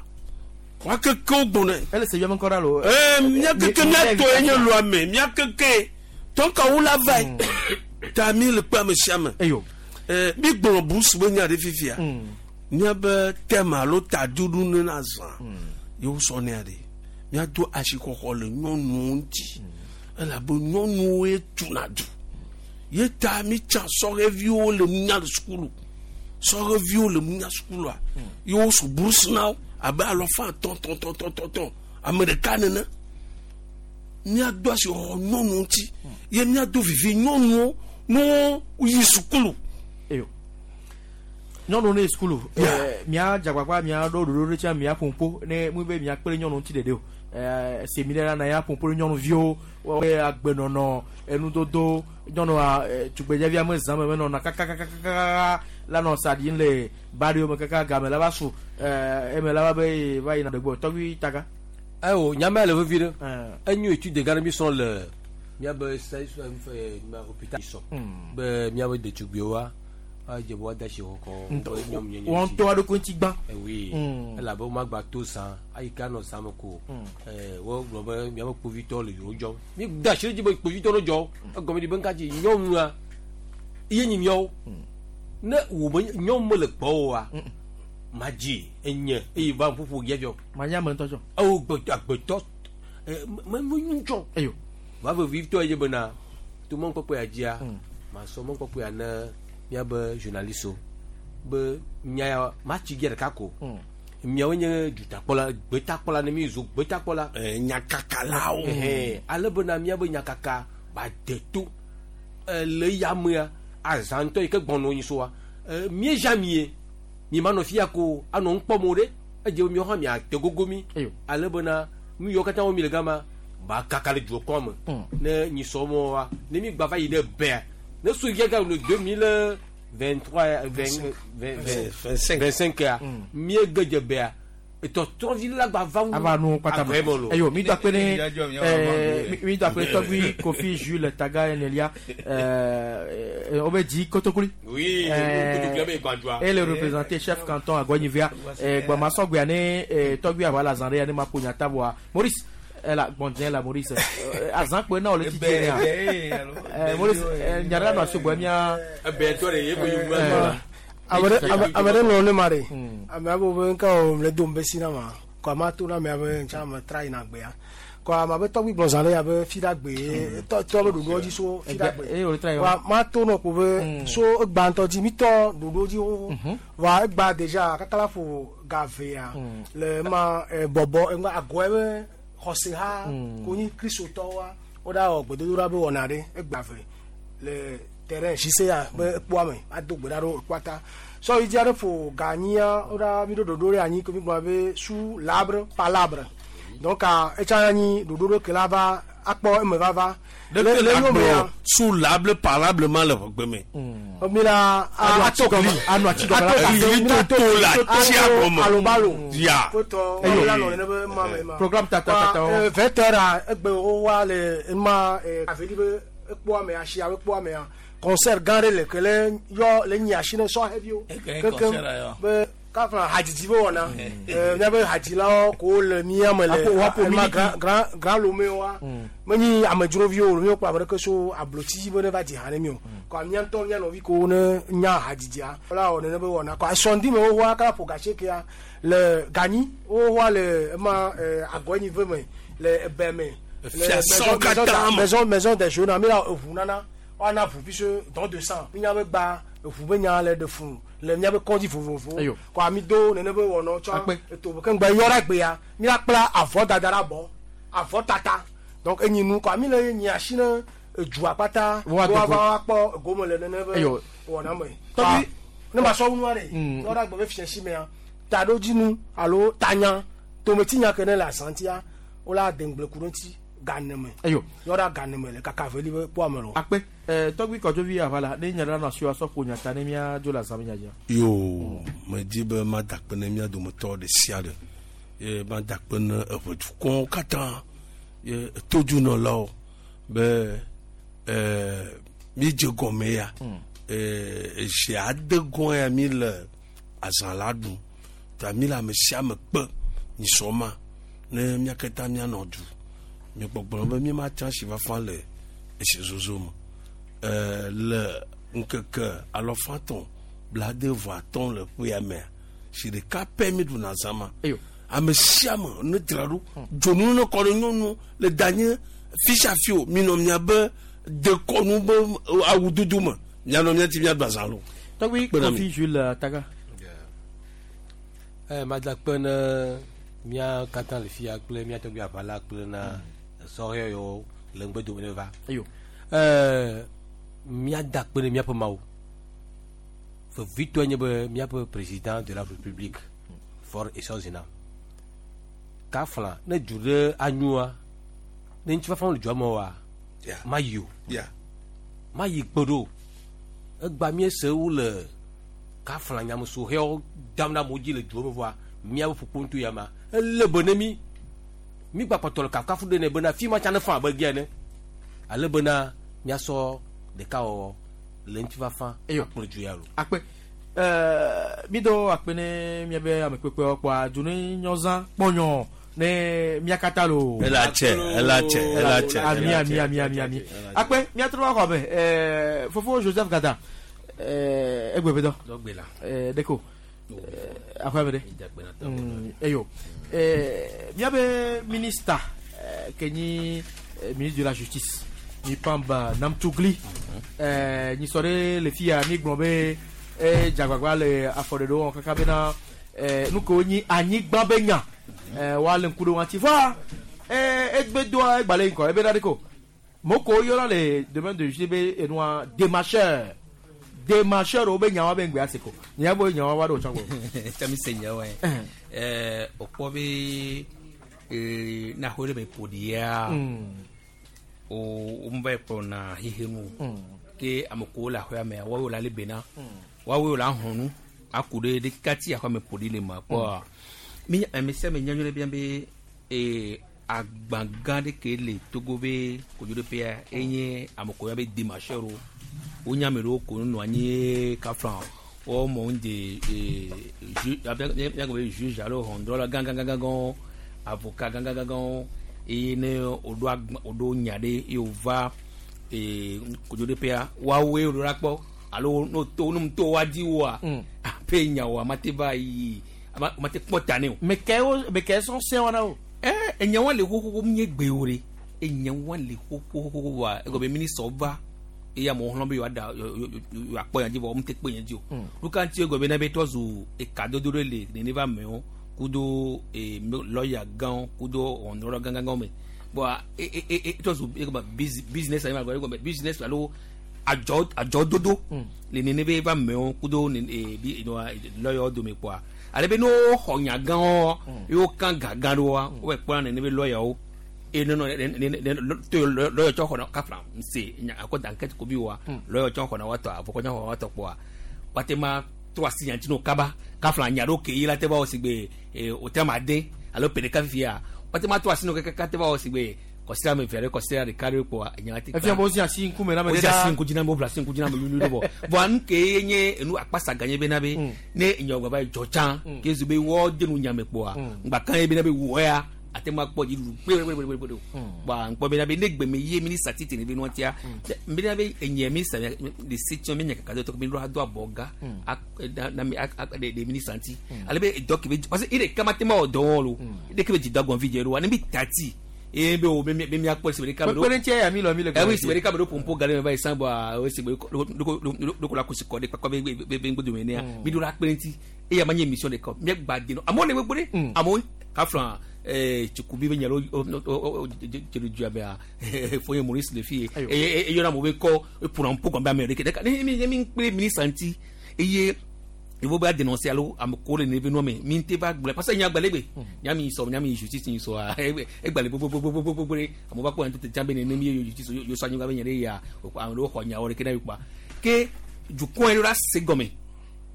Wa keke wo gbɔnɔe. Ele se yɔmɛ kɔra lo. Mía keke mía tɔ ye nye lua me mía keke tɔnka wo la va yi. Ta mi le kpe ame sia ame. Eyo. Mi gblɔ busu be nya ɖe fifia. Míabe thème alo taɖuɖu ne na zã. Yewo sɔ nea ɖe. Míado asixɔxɔ le nyɔnuwo ŋuti. Elabe nyɔnuwoe tuna du. Ye ta mi tsã sɔheviwo le nunya le sukulu. Sɔheviwo le nunya sukulua. Ye wosu bourse na wo abe alɔfa tɔn tɔn tɔn tɔn tɔn tɔn. Ame ɖeka nene. Míado asixɔxɔ nyɔnuwo ŋuti. Ye míado vivi nyɔnuwo ne woyi sukulu. Eyo. Nyɔnuwo ne yi sukulu. Mía dzagbagba mía ɖo ɖoɖo ɖe tsã mía ƒoƒo ne mu be mía kpe ɖe nyɔnuwo ŋuti ɖeɖe o. Séminaire la na ya ƒoƒo ɖe nyɔnuviwo woƒe agbenɔnɔ enudodo nyɔnua tugbedzevia me zã me menɔna kakakakaka la nɔ sa ɖim le ba ɖewo me kaka game la va su eme la va be va yina ɖegbɔ tɔgbi taga. Ayiwo nyama le vevi ɖe enyo étude gã ɖe mi srɔ̃ le miabe hôpital sɔ be miabe ɖetugbiwoa adze be woade asi xɔxɔ wɔn ŋutɔ aɖokui ŋuti gbã. Oui elabe womagba to zã ayi ke anɔ zã me ko wogblɔ be miabe kpovitɔ le yewo dzɔm mi da asi ɖe dzi be kpovitɔ no dzɔ egɔme ɖi be ŋka dzi nyɔnua ye nyi miawo ne wò me nyɔnu mele gbɔ oa madzi enye eye va ƒoƒo ya dzɔ. Manya ame ŋutɔ tsɔ. Ewo gbetɔ agbetɔ me me ŋutsɔ. Eyo. Va vevitɔ ye bena to mɔnukpɔkpɔ ya dzia masɔ mɔnukpɔkpɔ ya ne miabe journaliste be nya ya matsi dzi ɖeka ko. Miawo nye dutakpɔla gbetakpɔla ne mi zu gbetakpɔla. Nyakakalawo. Ale bena miabe nyakaka ba de to le yamea azã ŋutɔ yi ke gbɔnɔ nyi soa miezã mie mi manɔ fia ko anɔ ŋkpɔm o ɖe edze be miawo hã miate gogo mi ale bena nu yiwo katã wɔm mi le gama ba kaka le dukɔa me ne nyisɔ mɔ wa ne mi gba va yi ɖe bɛa ne so yi ga le 2023 25 ya mie gedze bɛa etɔtrɔvi la gba va wu ava nu kpata me eyo mi do akpe ne mi do akpe ne tɔgbi Kofi Jules Taga Enelia wobe dzi Kotokoli. Oui, Kotokoli be gbadzua. Et le représenté chef canton Agɔnyivia gbɔmasɔgbea ne tɔgbi aʋa le azã ɖe ya ne ma ƒo nyata voa Maurice la gbɔndze la Maurice azã kpe na wòle titi nea Maurice nya ɖe nɔ asi gbɔ mia. Ebe tɔ de ye ko yi Ame ɖe nɔ ne ma ɖe ame abe be ŋka o le dom be si na ma ko ama to na ame abe ntsa ame tra yina gbea ko ame abe tɔgbi gblɔ zã ɖe abe fi ɖa gbe tɔ tɔ be ɖoɖoa dzi so fi ɖa gbe wa ma to nɔ ko be so egba ŋutɔ dzi mi tɔ ɖoɖo dzi xoxo wa egba déjà kaka la ƒo ga vea le ma bɔbɔ ŋgba agɔe be xɔse ha ko nyi kristotɔwoa wo ɖa wɔ gbedodoɖa be wɔna ɖe egba ve le terrain JC ya be ekpoa me ado gbe ɖa ɖo ekpoa ta sɔ yi dzi aɖe ƒo ga nyia wo ɖa mi ɖo ɖoɖo ɖe anyi ko mi gblɔ be sous l'arbre palabre donc etsa anyi ɖoɖo ɖo ke la va akpɔ eme vava le le yome sous l'arbre palabre ma le ʋegbe me. Mi la ato gli anu ati gɔme la to la tia gɔme alobalo ya kotɔ la nɔ nene be ma me ma programme tata tata wo 20 heures egbe wo wa le ma aveli be ekpoa me asia be ekpoa mea concert gã ɖe le ke le yɔ le nyi asi ne sɔhɛviwo kekem be kafla hadzidzi be wɔna míabe hadzilawo ko le mía me le ema grand grand lome wa menyi amedzroviwo o míekpɔ ame ɖeke so ablotsi be ne va dzi ha ne mi o kɔ mía ŋutɔ mía nɔvi ko ne nya hadzidzia wala wɔ nene be wɔna kɔ asɔndi me wohoa kala ƒo gasekea le ganyi wohoa le ema agɔnyi ve me le ebe me le maison maison des jeunes mi la eʋu nana woana ʋu puisque don de sang mi nya be gba eʋu be nya le ɖe fun le miabe kɔdzi vovovowo kɔ ami do nene be wɔnɔ tsɔ eto ke ŋgbe yɔ ɖe gbea mi la kpla avɔ dada ɖe abɔ avɔ tata donc enyi nu kɔ ami le nyi asi ne edua kpata woava akpɔ gome le nene be wɔna me ne ma sɔ nua ɖe yɔ ɖe agbe be fiasi mea taɖodzinu alo tanya tometinya ke ne le azãtia wola de ŋgble ku ɖe ŋuti ganeme eyo yɔ ɖe ganeme le kaka veli be kpɔ ame lo. Akpe tɔgbi kɔdzovi aʋala ne nya ɖe nɔ asi wa sɔ ƒo nyata ne mía dzo le azã me nyadzia. Yo medi be mada akpe ne mía dometɔ ɖe sia ɖe ye mada akpe ne eʋedukɔwo katã ye todunɔlawo be míedze gɔme ya ezi ade gɔn ya mi le azã la ɖum ta mi le ame sia ame kpe nyisɔ ma ne mía katã míanɔ du migbɔgblɔ be míema si fafa le esi zozo me le ŋkeke alɔfatɔn blade vɔ atɔn le ƒea mea si ɖeka pɛ mi ɖuna zã ma ame sia ame ne dzra ɖo dzonu ne kɔ ɖe nyɔnu le danye fi sia fi o minɔ miabe dekɔnu be awu dudu me mianɔ mia ti miaɖu azã lo. Tɔgbi Kofi Jules Taga. Mada kpe ne mía katã le fia kple mía tɔgbi aʋala kple na sɔhɛ yiwo le ŋgbedome ne va. Eyo. Míada kpe ne míaƒe mawu. Vevitɔe nye be míaƒe président de la république Faure Essozimna. Kafla ne du ɖe anyoa ne ŋutifafa le dua me oa mayi o mayi gbe ɖo egba míese wo le kafla nyamesoxewo dam ɖe amewo dzi le dua me vɔa míaƒe ƒukpo ŋutɔ ya ma ele be ne mí mí gbakpɔtɔ le kafukafu ɖe nɛ bena fi ma tsã ne fa abe gea ene ale bena míasɔ ɖekawɔwɔ le ŋutifafa akplɔ du ya lo. Akpe mi do akpe ne miabe ame kpekpewo kpɔa du ne nyɔzã kpɔnyɔ ne mia katã lo. Ela tse, ela tse, ela tse, Ami ela ami tse, ami ami ami. Akpe miatrɔ va xɔ me fofo Joseph Gada egbe be dɔ. Dɔgbe la. Ɖeko aƒe me ɖe. Eyo miabe minista ke nyi ministre de la justice mi Pamba Namtugli nyisɔ ɖe le fi ya mi gblɔ be dzagbagba le afɔɖeɖewo wɔm kaka bena nu kewo nyi anyigba be nya woalé ŋku ɖe wo ŋuti vɔa egbe doa egbalẽ ŋkɔ ebe na ɖe ko moko yɔna le domaine de justice be enua démarcheur démarcheur wo be nyawo be ŋgbe ase ko nya bo nyawo wa ɖo tsã gbɔ. Tami se nyawo ye. O kpɔ be na xɔ ɖe me ƒo ɖi ya o o va yi kplɔna xixe nu ke ame kewo le aƒea mea woawoe la le bena woawoe la hɔn nu aku ɖe ɖeka ti aƒea me ƒo ɖi le ma kpɔa mi ame sia ame nya nyuie ɖe bia be agba gã ɖe ke le Togo be kodzoɖoƒea enye ame kewo yɔna be démarcheur wo wonya ame ɖewo ko nɔ anyi kafla wɔmɔ ŋu de ju miagblɔ be juge alo ʋɔnudrɔ̃la gãgãgãgãwo avocat gãgãgãgãwo eye ne woɖo agba woɖo nya ɖe eye wova kodzoɖoƒea woawoe woɖo la kpɔ alo no to no to woa dzi woa aƒe nyawoa mate va yi mate kpɔ ta ne o. Me ke wo me ke sɔn sɛn wɔna o. Enyawoa le xoxoxo nye gbe o ɖe enyawoa le xoxoxo wa egɔme be ministre va eye amewo xlẽ be yewoaɖa yewoakpɔ nya dzi vɔ womete kpe nya dzi o. Nuka ŋuti egɔme be ne be trɔ zu ekadodo ɖe le nene va amewo kudo lɔya gãwo kudo ʋɔnudrɔ̃la gãgãgãwo me bɔn e trɔ zu egɔme business anyi ma egɔme business alo adzɔ adzɔdodo le nene be va amewo kudo bi lɔyawo dome kpɔa ale be ne woxɔ nya gãwo ye wokan ga gã ɖewoa wova kpɔna nene be lɔyawo eye ne nɔ ne ne ne to lɔya tsɔ xɔna kafla nse nya akɔ da enquête ko bi wa lɔya tsɔ xɔna woatɔ avɔkɔ tsɔ xɔna woatɔ kpɔa woate ma trɔ asi nya ŋuti no kaba kafla nya ɖewo ke yi la te va wɔ si gbe o te ma de alo pe ɖeka fifia woate ma trɔ asi no kaka te va wɔ si gbe kɔsira ame eve aɖe kɔsira ɖeka ɖe kpɔa enya la te Efia be wozi asi ŋkume na ame ɖe wozi asi ɖaa. ŋku dzi na ame wobla asi ŋku dzi na ame wluiwlui ɖo vɔ vɔa nu ke ye nye enu akpasa gã nye bena be ne enyawo gba va yi dzɔ tsã ke zu be wɔ de nu nyame kpɔa ŋgba kan ye bena be wɔ ya ate ŋu akpɔ dziɖuɖu kpekpekpekpekpe o bɔn ŋkpɔ bena be ne gbeme ye minista titi ne be nua tia bena be enye minista de se tiɔ mi nye kaka do tɔ mi ɖo ado abɔ ga na mi de minista ŋuti ale be dɔ ke be parce que ire kama te ma wɔ dɔ wɔn lo ire ke be dzi do agbɔn vi dze ɖo wa ne mi tati eye be wo be mi miakpɔ si ɖeka Kpekpe ɖe ŋuti eya mi lɔ mi le oui si ɖeka be ɖo pompo ga ɖe me va yi san bɔa o si be ɖoko la kusi kɔ ɖe kpakpa be be ŋgbodome nea mi ɖo la kpe ɖe ŋuti eya ma nye émission ɖeka o miagba de nɔ amewo le gbogbo ɖe amewo kafla tsukubi be nya ɖe dze dua mea fonye Maurice le fi ye eye eyɔna amewo be kɔ eƒona ŋpo gɔme be ame ɖeke ɖeka ne mi ne mi kple ministre ŋuti eye il faut pas dénoncer alo ame ko le neve nua me mi ŋute va gblɔ parce que nya gbalẽ gbe nya mi sɔ nya mi justice mi sɔa egbalẽ gbogbogbogbogbogbo ɖe amewo va kpɔ nya tete tsã be nene mi ye justice yo sɔ anyigba be nya ɖe ya ame ɖewo xɔ nyawo ɖeke na yi kpɔa ke dukɔ yi ɖo la se gɔme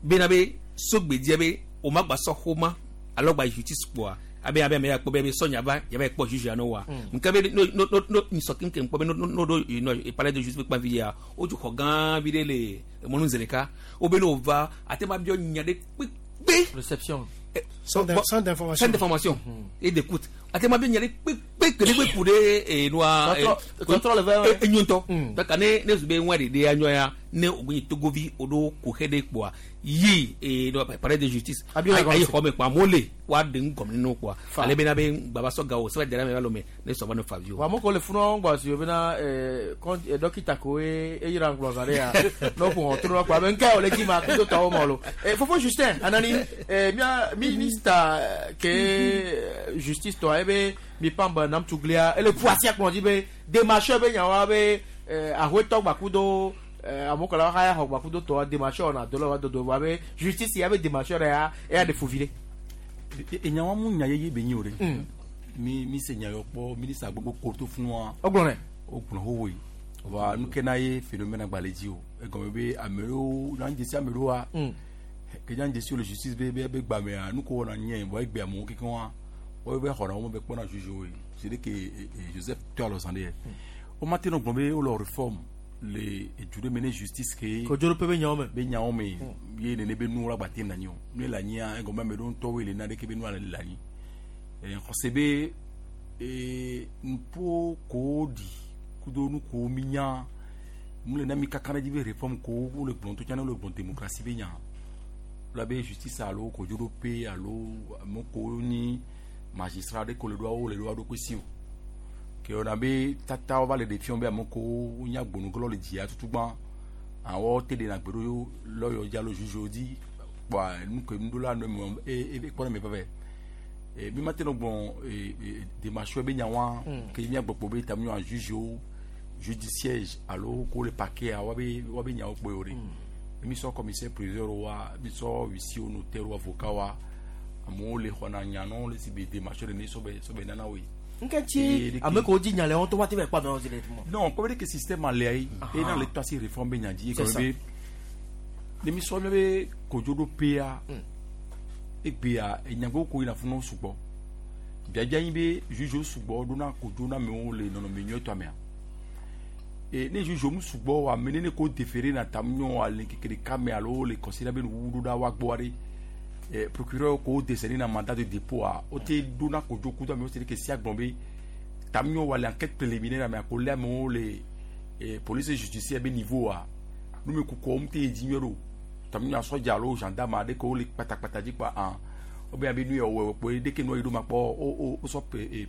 bena be sogbedia be o ma gba sɔ xoma alo gba justice kpɔa abe abe ame ya kpɔ be be sɔ nya va ya va yi kpɔ juge ya no wa nke be no no no no nsɔ keŋkeŋ kpɔ be no no no ɖo no palais de justice kpa vi ya wotso xɔ gã vi ɖe le mɔnu zi ɖeka wo be ne wova ate ma biɔ nya ɖe kpekpe réception Sans d'information. Sans d'information et d'écoute ate ma biɔ nya ɖe kpekpe ke ɖe kpe ku ɖe nua Tɔtrɔ le vɛ. Enyo ŋutɔ donc ne ne zu be ŋua ɖeɖe anyɔ ya ne wo nyi togovi wo ɖo kuxe ɖe kpoa yi no palais de justice Abi la ayi xɔ me kpoa amewo le woaɖe nu gɔme ne wo kpoa ale bena be gbava sɔ ga o sɛbɛ dara me va lome ne sɔ va ne fa vi o. Wa amewo le funɔ ŋgbɔ si bena dɔkita ko ye eyira ŋgblɔ zã ɖe ya ne woƒo ʋɔtru la kpɔ abe ŋka wòle dzi ma kudo tɔwo ma lo. Fofo Justin Anani mia ministre ke justice tɔ ebe mi pam be namtuglia ele ƒu asi akplɔ dzi be démarcheur be nyawoa be ahoetɔ gbakudo amewo kɔla xaya xɔ gbakudo tɔa démarcheur wɔna do le wa dodo vɔ abe justice ya be démarcheur ya eya ɖe fu vi ɖe. Enyawo mu nya yeye be nyi o ɖe. Mi mi se nya yɔ kpɔ ministre gbogbo ko to funu wa. O gblɔ nɛ. O gblɔ xoxoe. Wa nu ke na ye phénomène agbalẽ dzi o. Egɔme be ame ɖewo na dzesi ame ɖewoa. Ke nya dzesi le justice be be be gbamea nu ko wɔna nye bɔn egbe amewo kekeŋ wa. Wo be xɔna wo be kpɔna juge wo ye. C'est que Joseph to alɔ zan de yɛ. O ma te nɔ gblɔ be wole réforme le edu ɖe me ne justice ke. Kodzoɖoƒe be nyawo me. Be nyawo me ye nene be nuwo la gba te na anyi o. Nu le anyia egɔme ame ɖewo ŋutɔwoe le na ɖeke be nua le anyi. Xɔse be nuƒo kowo ɖi kudo nu kowo mi nya nu le na mi kaka ɖe dzi be réforme kowo wole gblɔm to tsã wole gblɔm démocratie be nya. La be justice alo kodzoɖoƒe alo ame kowo nyi magistrat ɖe ko le ɖoa wo le ɖoa ɖokui si o. Ke wɔna be tatawo va le ɖe fiɔ be ame kowo nya gbonugblɔ le dzia tutugbã awɔ te ɖena gbe ɖo lɔyɔ dzi alo juge dzi kpɔa nu ke nuɖola nɔ eme e e kpɔ ne me veve. Mi ma te nɔ gblɔ démarche be nyawa ke mia gbɔkpɔ be tamu nyɔ juge wo juge du siège alo ko le parquet wa be wa be nyawo kpɔ yio ɖe. Mi sɔ commissaire priseur wa mi sɔ huissier notaire wa avocat wa amewo le xɔna nyanɔ le si be démarche ɖe ne sɔbɛ sɔbɛ nana woe. Nkɛtsi ame ko dzi nya le wɔn to wa te bɛ kpɔ amewo zi le tuma. Non, kɔmi de ke système alea yi e na le to asi réforme be nya dzi C'est ça. kɔmi be ne mi sɔ mi be kodzoɖoƒea egbea enyagbo ko yina funu sugbɔ biabia nyi be juge sugbɔ ɖona kodzo na amewo le nɔnɔme nyuietɔ mea e ne juge mu sugbɔ wa ame ne ko déféré na tamu nyɔ ale keke ɖeka me alo le considéré be nuwuwu ɖo ɖa wa gbɔ ɖe e procureur ko décerné na mandat de dépôt a o te ɖona kodzo kudo amewo c'est que sia gblɔ be tamu nyɔ wa le enquête préliminaire mea ko lé amewo le e police judiciaire be niveau a numekukuwo mu te yi dzi nyuie ɖo tamu nyɔ sɔdza alo gendarme aɖe ke wole kpatakpata dzi kpa hã wo be abe nu yɛ wɔ kpo ɖeke nua yi ɖo ma kpɔ o o sɔ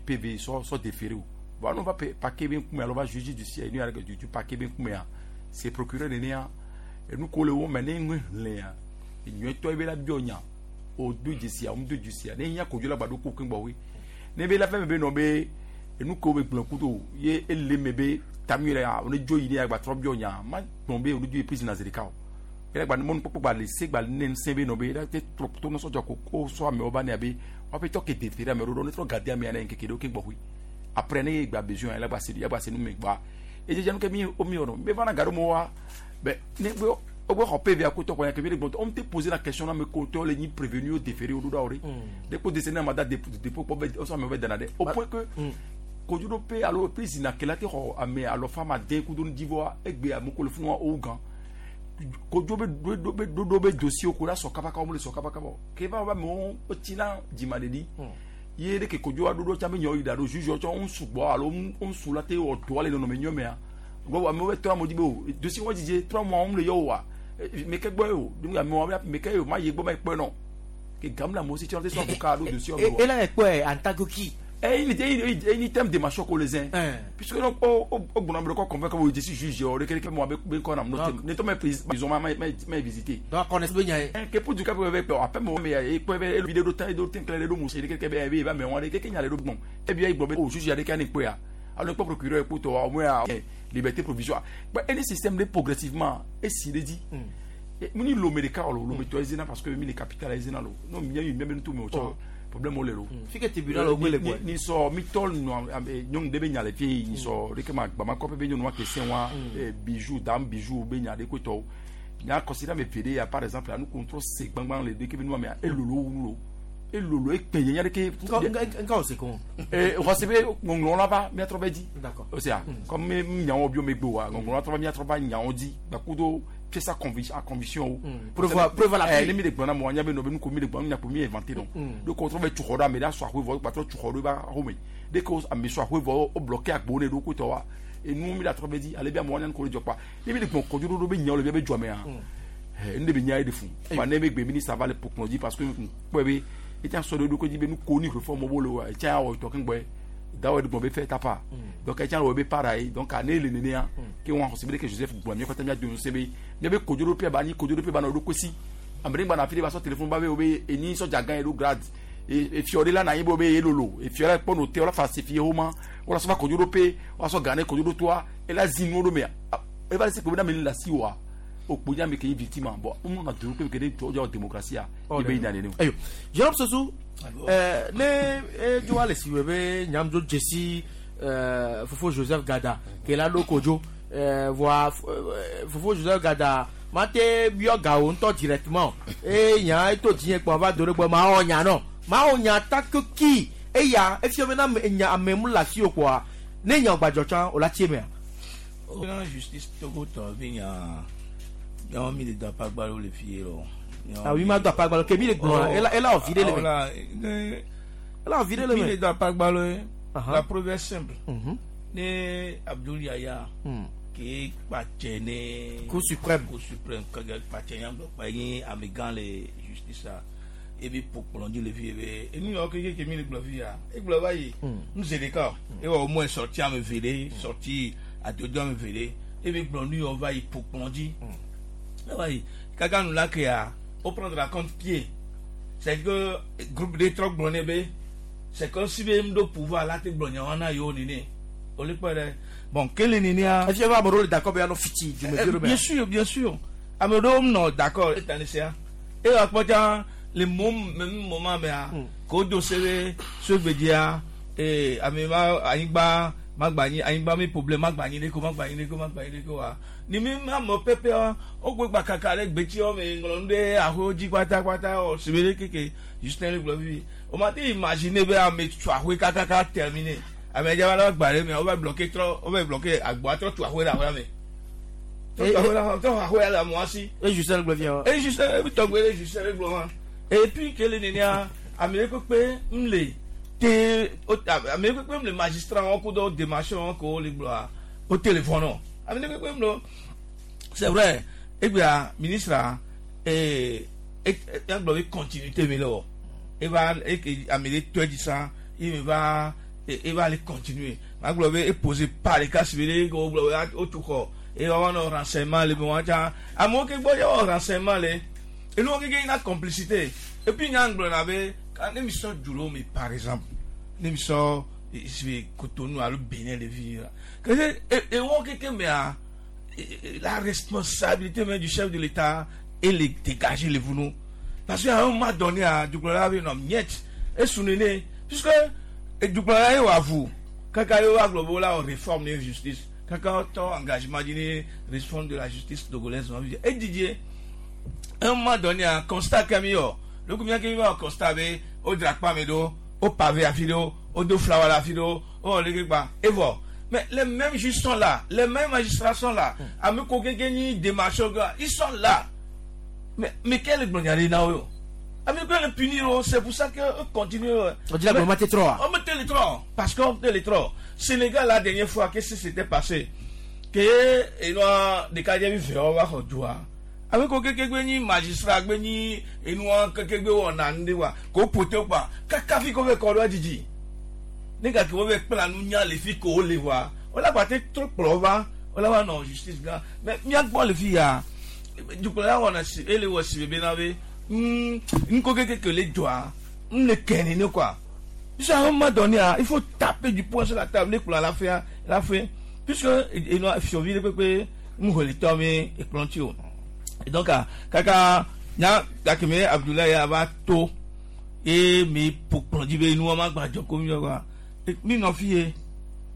PV sɔ sɔ déféré o bon anu va parquet be ŋkume alo va juge du siège nu yɛrɛ ke du parquet be ŋkumea c'est procureur nenea enu ko le wo me ne ŋu hlẽa enyuietɔ ye be la biɔ nya o do dzesia o mu do dzesia ne hiã kodzo la gba ɖo ko keŋ gbɔwoe ne be la fɛn me be nɔ be enu ko be gblɔ kudo ye ele me be tamu yɛrɛ a o ne dzo yi ne ya gba trɔ biɔ nya ma gblɔ be o ne dzo yi prison na zi ɖeka o ele gba mɔnukpɔkpɔ gba le se gba ne ŋusẽ be nɔ be ele te trɔ to nusɔdzɔ ko ko sɔ amewo va nea be woaƒe tɔ ke déféré amewo ɖo ne trɔ gade amea ne ŋkeke ɖewo ke gbɔƒe après ne ye gba besoin ele gba se ya gba se nu me gba edzedze nu ke mi o mi wɔnɔ mi va na gaɖo mo wa bɛ ne gbe o gbe xɔ PV akotɔ kɔ ya ke mi de gbɔntɔ on te poser la question na me ko tɔ le nyi prévenu o déféré o ɖo ɖa o ɖe de ko décerné mandat de dépôt kpɔ bɛ ɔsɔ amewo bɛ dana dɛ au point que kodzoɖoƒe alo prison akela te xɔ ame alo fama den kudo nu dzivɔa egbe ame ko le funu wa o wu gã kodzo be ɖo be ɖoɖo be dossier ko la sɔ kabakaba wo le sɔ kabakaba o ke va va amewo wotsina dzimaɖeɖi ye ɖe ke kodzo wa ɖoɖo tsã be nyawo yi da ɖo juge tsɔ ŋu sugbɔ alo ŋu su la te wɔ dɔa le nɔnɔme nyuie mea gbɔ amewo be trɔ amewo dzi be o dossier wɔn dzidze trɔ mɔ wɔm le yɔ wa meke gbɔ ye o donc amewo meke ye o ma yi gbɔ ma yi kpɔe nɔ ke gam le amewo si tsɔ te sɔ avocat ɖo dossier E ela ekpɔe en tant que qui? Eyi ni thème démarche ko le zin puisque non o o o gbɔnɔ bɛ kɔ convaincre ko je suis juge o de kele kele mo be be kɔ na mo ne tɔ mɛ prison ma ma ma visiter. Donc connaisse be nya ye. Ke pour du cas be be après mo me e ko be vidéo do tan do ten kele do mo se de kele be be ba me won de keke nya le do gbɔn e bi e gbɔ be o juge ya de ka ni pe ya alors que procureur pour toi au moins liberté provisoire mais any système de progressivement et si le dit muni lomé de ka lo lomé to ezina parce que mi le capital ezina lo non mi mi mi tout me o problème o le lo. Fike tribunal o gbele quoi. Ni sɔ mi tɔ nɔ nyɔnu ɖe be nya le fie ni sɔ ɖeke ma gbama kɔƒe be nyɔnu wa ke se wa bijou dame bijou be nya ɖe ko tɔwo nya considère me feere ya par exemple anu contrôle se gbangban le ɖeke be nua mea elolo wu lo elolo ekpe nye nya ɖeke. Nka o se ko. Ee xɔse be ŋɔŋlɔ la va miatrɔ be dzi. D'accord. O sea comme mi nyawo bi o megbe wa ŋɔŋlɔ la trɔ va miatrɔ va nyawo dzi gbakudo pièce à conviction à conviction o. Preuve à l'appui. Ne mi le gblɔ na mo anya be nɔ be nu ko mi le gblɔ nya ko mi inventé donc. Donc o trɔ be tsuxɔ ɖo ame ɖe asɔ ahoe vɔ gbatrɔ tsuxɔ ɖo eba xɔme. Dès que ame sɔ ahoe vɔ o bloqué agbowo ne ɖo ko tɔ wa enu mi la trɔ be dzi ale be amewo anya nu ko le dzɔ kpa. Ne mi le gblɔ kɔdzo ɖoɖo be nyawo le bia be dzɔmea. Nu de be nya ye de fun. Wa ne be gbe ministre va le pokplɔ dzi parce que kpɔe be etsa sɔ ɖe ɖokui dzi be nu ko ni réforme wo le wa etsa awɔ tɔ keŋgbɔe dawɔ de gbɔn be fɛ tapa donc etsa wɔ be para ye donc ane le nenea ke wɔn xɔse be ke Joseph gblɔ mi kɔtɛ mia do ŋusẽ be mia be kodzoɖoƒe ba anyi kodzoɖoƒe ba nɔ ɖokui si ame ɖe gbana afi ɖe ba sɔ téléphone ba be wo be enyi sɔdza gã ye ɖo grade efiɔ ɖe la na anyi be wo be ye lolo efiɔ la kpɔ no te wala fa se fie wo ma wala sɔ va kodzoɖoƒe wala sɔ gã ne kodzoɖotoa ela zi nuwo ɖo mea eva le se kpe be na me le asi wa O kpo nya me ke victime bon on na duru ke ke to jo démocratie a ibe ina ne. Ayo Jérôme Sossou, ne edzo ale si wɔ be nyamdzo dzesi fofo Joseph Gada ke la ɖo kodzo voa fofo Joseph Gada mate biɔ gawo ŋutɔ directement eye nya eto dzinye kpɔ va do ɖe gbɔ ma wɔ nya nɔ ma wɔ nya ta ki eya efia bena nya ame mu le asi o kpoa ne nya gbadzɔ tsã o la tsi emea. Na justice Togo tɔ be nya miawo mi le do apagbalo le fi ye lɔ. Ah oui, ma do apagbalo ke mi le gblɔ ela ela wɔ vi ɖe le me. Ela wɔ vi ɖe le me. Mi le do apagbalo ye. La preuve est simple. Ne Abdoul Yaya ke kpatsɛ ne. Cour suprême. Cour suprême kɛkɛ kpatsɛ nya gblɔ kpa ye amegã le justice a ebi ƒo kplɔ dzi le fi ye be enu yawo keke ke mi le gblɔ fi ya egblɔ va yi nu zi ɖeka o ewɔ au moins sorti ame eve ɖe sorti adodo ame eve ɖe ebi gblɔ nu yawo va yi ƒo kplɔ dzi eva yi kaka nu la kea wo prendre à compte pied. C'est que groupe ɖe trɔ gblɔ nɛ be c'est comme si be ŋɖo pouvoir la te gblɔ nyawo na yewo nene o le kpɔ ɖe bon kele nenea. Efia be ame ɖewo le d'accord be anɔ fiti dumevi ɖo mea. Bien sûr, bien sûr, ame ɖewo nɔ d'accord etani sia eye akpɔ tsã le mom même moment mea ko do se be sogbedzia ee ame ma anyigba magba anyi anyigba mi problème magba anyi ɖe ko magba anyi ɖe ko magba anyi ɖe ko wa ni mi ma me pɛpɛ wo gbe gba kaka ɖe gbetsiwo me ŋlɔ nu ɖe aƒewo dzi kpatakpata wɔ si be ɖe keke Justin le gblɔ vivi o ma te imaginer be ame tso aƒe kakaka terminé ame dza va la gba ɖe me wo va bloquer trɔ wo va bloquer agboa trɔ tu aƒe ɖe aƒea me trɔ tu aƒe ɖe trɔ aƒea le amewo si. E Justin le gblɔ fia. E Justin e tɔgbe ɖe Justin le gblɔ ma et puis ke le nenea ame ɖe kpekpe m le te ame ɖe kpekpe m le magistrat wɔn kudo démarche wɔn ko wo le gblɔa wo téléphone o ame ɖe kpekpe m le c'est vrai egbea ministre ee egblɔ be continuité mi le wɔ eva eke ame ɖe tɔe dzi sa ye mi va eva le continuer magblɔ be eposer pas ɖeka si be ɖe wo gblɔ be wotu xɔ eye woava nɔ renseignement le me wɔn tsã amewo ke gbɔ ye wɔ renseignement le enuwo keke na complicité et puis nya gblɔna be ne mi sɔ du ɖewo me par exemple ne mi sɔ si Cotonou alo Benin le fi la ke ewɔ keke mea la responsabilité même du chef de l'État et le dégager le vunu parce qu'à un moment donné a dukplɔla be nɔ miette esu nene puisque dukplɔla ye wɔ avu kaka ye wa gblɔ be wola wɔ réforme ne justice kaka tɔ engagement dzi ne réforme de la justice togolaise ma fi edidie un moment donné a constat ke mi wɔ lókun mi ake mi va wɔ constat be wo dzra kpa mi ɖo wo pavé afi ɖo wo do flower le afi ɖo wo wɔ leke gba evɔ mais les mêmes juges sont là, les mêmes magistrats sont là. Ame ko keke nyi démarche ils sont là. Mais quel est le na wo? Ame ko le punir, c'est pour ça que continue. On dit la mais trop. On mettait les trop parce qu'on mettait les trop. Sénégal la dernière fois qu'est-ce qui s'était passé? Que et noa de ka je vi wa ko dua. Ame ko keke gbe nyi magistrat gbe nyi enua keke gbe wo na nde wa ko pote pa kaka fi ko fe ko do jiji. Nígbà tí wọ́n fẹ́ kpla nu nya le fi ko le wa wọ́n lágbà tẹ tó kplɔ va wọ́n lágbà nɔ justice gan mɛ miagbɔ le fi ya dukplɔla wɔna si ele wɔ si bebe na be nko keke le dzɔa n le kɛni ne quoi puisque à un moment donné il faut taper du poing sur la table ne kplɔ la fɛ la fɛ puisque enua fiɔvi ɖe kpekpe ŋuxɔlitɔ mi ekplɔ ŋuti o et donc kaka nya gakeme Abdoulaye ava to ye mi ƒo kplɔ dzi be nua ma gbadzɔ ko mi yɔ quoi mi nɔ fi ye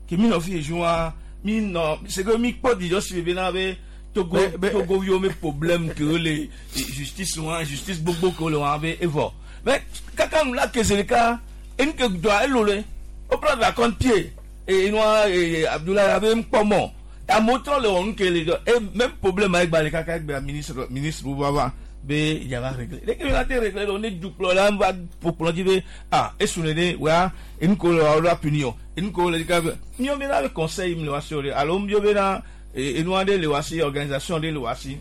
ke mi nɔ fi ye joa mi nɔ c'est que mi kpɔ dzidzɔ si bebe na be Togo Togo viwo me problème ke wo le justice wa justice gbogbo ke wo le wa be evɔ mais kaka nu la kese ɖeka enu ke dɔa elo le wo prendre la compte pied et enua Abdoulaye abe ŋkpɔ mɔ amewo trɔ le wɔ nu ke le dɔ et même problème ayi gba le kaka egbe ministre ministre wo va va be yava régler leke mi la te régler do ne dukplɔ la va ƒo kplɔ dzi be ah esu nene wa enu ko le wa la punir o enu ko le ka miɔ bena be conseil mi le wa si o de alo miɔ bena enua ɖe le wa si organisation ɖe le wa si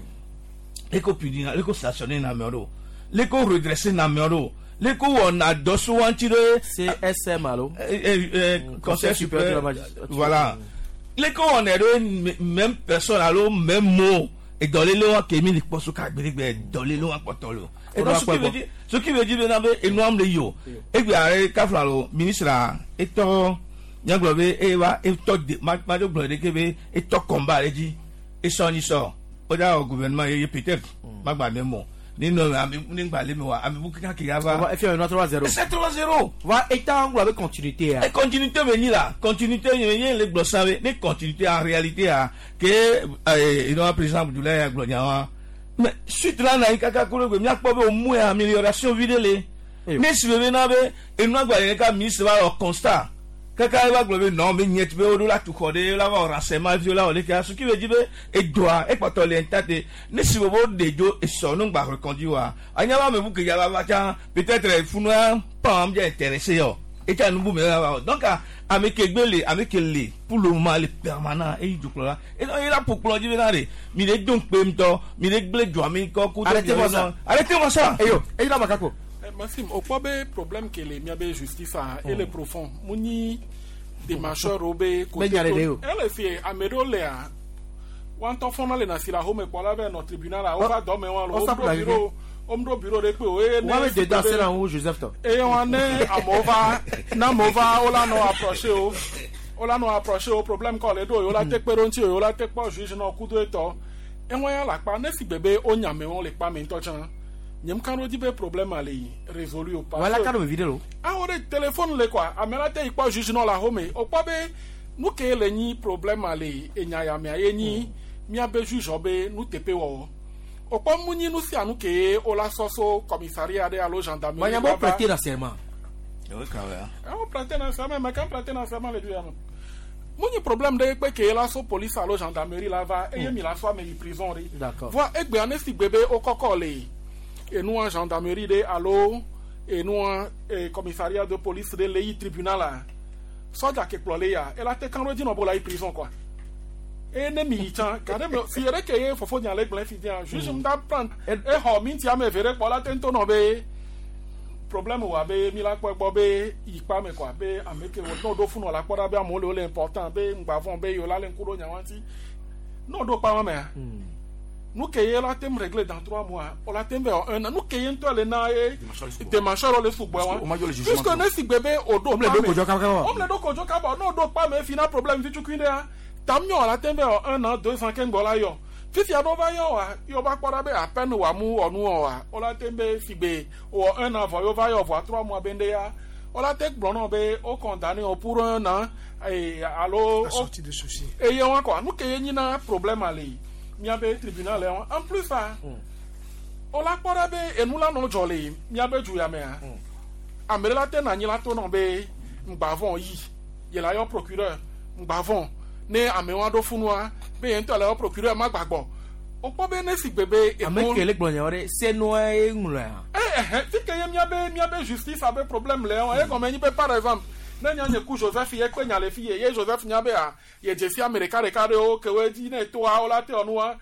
leko punir leko sanctionner na amewo ɖo leko redresser na amewo ɖo leko wɔna dɔ so wa ŋuti ɖe. CSM alo. Conseil supérieur de la magistrature. Voilà leko wɔna ɖo même personne alo même mot edɔlele wa ke mi le kpɔ so ka gbeɖegbe dɔlele wa kpɔtɔ le o et donc ce qui veut dire bena be enua le yi o egbe are kafla lo ministre etɔ nyagblɔ be eye wa etɔ de ma do gblɔ ɖeke be etɔ combat ɖe dzi esɔ nyi sɔ o da wɔ gouvernement yeye peut-être magba ne mɔ ni nɔ ame ni gba le mi wa ame bu kaka ke ya va. Efi ame 3-0. C'est 3-0. Va état ŋgɔ abe continuité ya. E continuité me nyi la continuité ye ye le gblɔ sa be ne continuité en réalité a ke inɔ président Abdoulaye ya gblɔ nya wa mais suite la na yi kaka kolo gbe miakpɔ be o mu ya amélioration vi ɖe le ne si be na be enua gba yɛrɛ ka ministre va wɔ constat kaka eva gblɔ be non be nyɛ be woɖo la tu xɔ ɖe la va wɔ renseignement vi la wɔ leke ce qui veut dire be edoa ekpɔtɔ le intact ne si be wo ɖe dzo esɔ nu gba reconduit wa anya ba ame bu ke ya va va tsã peut-être funua pan dze intéressé yɔ etsa nubu me la va wɔ donc ame ke gbe le ame ke le pour le moment le permanent eyi dzokplɔ la eye la ƒo kplɔ dzi be na de mi le do ŋkpe ŋutɔ mi le gble dzoa mi kɔ ku. Arrêtez-moi ça. Arrêtez-moi ça. Eyo eyi la makako. Maxime, o kpɔ be problème ke le miabe justice a ele profond mu nyi démarcheur wo be Be nya ɖe ɖe o. ele fie ame ɖewo lea wa ŋutɔ fɔna le nasi le axome kpɔ la va nɔ tribunal la wova dɔ me wa lo Wo womɖo sapla bureau womɖo bureau ɖe kpe o eye Wa be de da se na ŋu Joseph tɔ. eye wa ne amewo va ne amewo va wo la nɔ approché o wo la nɔ approché o problème kɔ le ɖo o wo la te kpe ɖo ŋuti o wo la te kpɔ juge nɔ kudo etɔ eŋua ya le akpa ne si gbe be wo nya amewo le kpa me ŋutɔ tsã nye mu kan ɖo dzi be problème a le résolu o. Wa la ka ɖo vevi ɖe lo. Awo ɖe téléphone le quoi ame la te yi kpɔ juge nɔ le axome o kpɔ be nu ke le nyi problème a le enya ya mea ye nyi miabe juge be nuteƒe wɔwɔ o kpɔ mu nyi nu sia nu ke wo la sɔ so commissariat ɖe alo gendarmerie. Wa nya be wo prêter na serment. Wo prêter na serment mais quand prêter na serment le du ya me mu nyi problème ɖe kpe ke la so police alo gendarmerie la va eye mi la sɔ ame yi prison ɖe. D'accord. Voa egbea ne si gbe be wo kɔkɔ le enua gendarmerie ɖe alo enua commissariat de police ɖe le yi tribunal la sɔdza ke kplɔ le ya ela te kan ɖo dzi nɔ bo la yi prison quoi eye ne mi yi tsã gade me fi ɖe ke ye fofo nya le gblẽ fi dia juge ŋuta prendre exɔ minti ame eve ɖe kpɔ la te ŋutɔ nɔ be problème wa be mi la kpɔ egbɔ be yi kpa me quoi be ame ke wo n'o ɖo funɔ la kpɔ ɖa be amewo le wo le important be ŋgba vɔn be yewo la le ŋku ɖo nya wa ŋuti n'o ɖo kpa wa mea nu ke ye la tem régler dans 3 mois o la tem bɛ un an nu ke ye ŋutɔ le na ye démarcheur le sugbɔ wa puisque ne si gbe be o ɖo Omle ɖo kodzo kaba kaba. omle ɖo kodzo kaba n'o ɖo kpa me fina problème vitukui ɖea tam nyɔ la tem bɛ un an 2 ans ke ŋgbɔ la yɔ fifia ɖo va yɔ wa yɔ va kpɔ ɖa be apeine wa mu wɔ nu wɔ wa o la tem be sigbe wɔ un an vɔ yɔ va yɔ vɔa 3 mois be ŋɖe ya o la te gblɔ nɔ be o condamné o pour un an alo. Sortie de souci. Eye wa kɔ nu ke ye nyina problème ale miabe tribunal le wa en plus a o la kpɔ ɖa be enu la nɔ dzɔ le miabe du ya mea ame ɖe la te na anyi la to nɔ be ŋgba vɔn yi ye la yɔ procureur ŋgba vɔn ne amewo aɖo funua be ye ŋutɔ le yɔ procureur ma gbagbɔ o kpɔ be ne si gbe be Ame ke le gblɔ nyawo ɖe senua ye ŋlɔa. Eh, fi ke ye miabe justice abe problème le wa ye gɔme nyi be par exemple ne nya nye ku Joseph ye kpe nya le fi ye ye Joseph nya be a ye dze si ame ɖeka ɖeka ɖewo ke woe dzi ne toa wo la te wɔ nua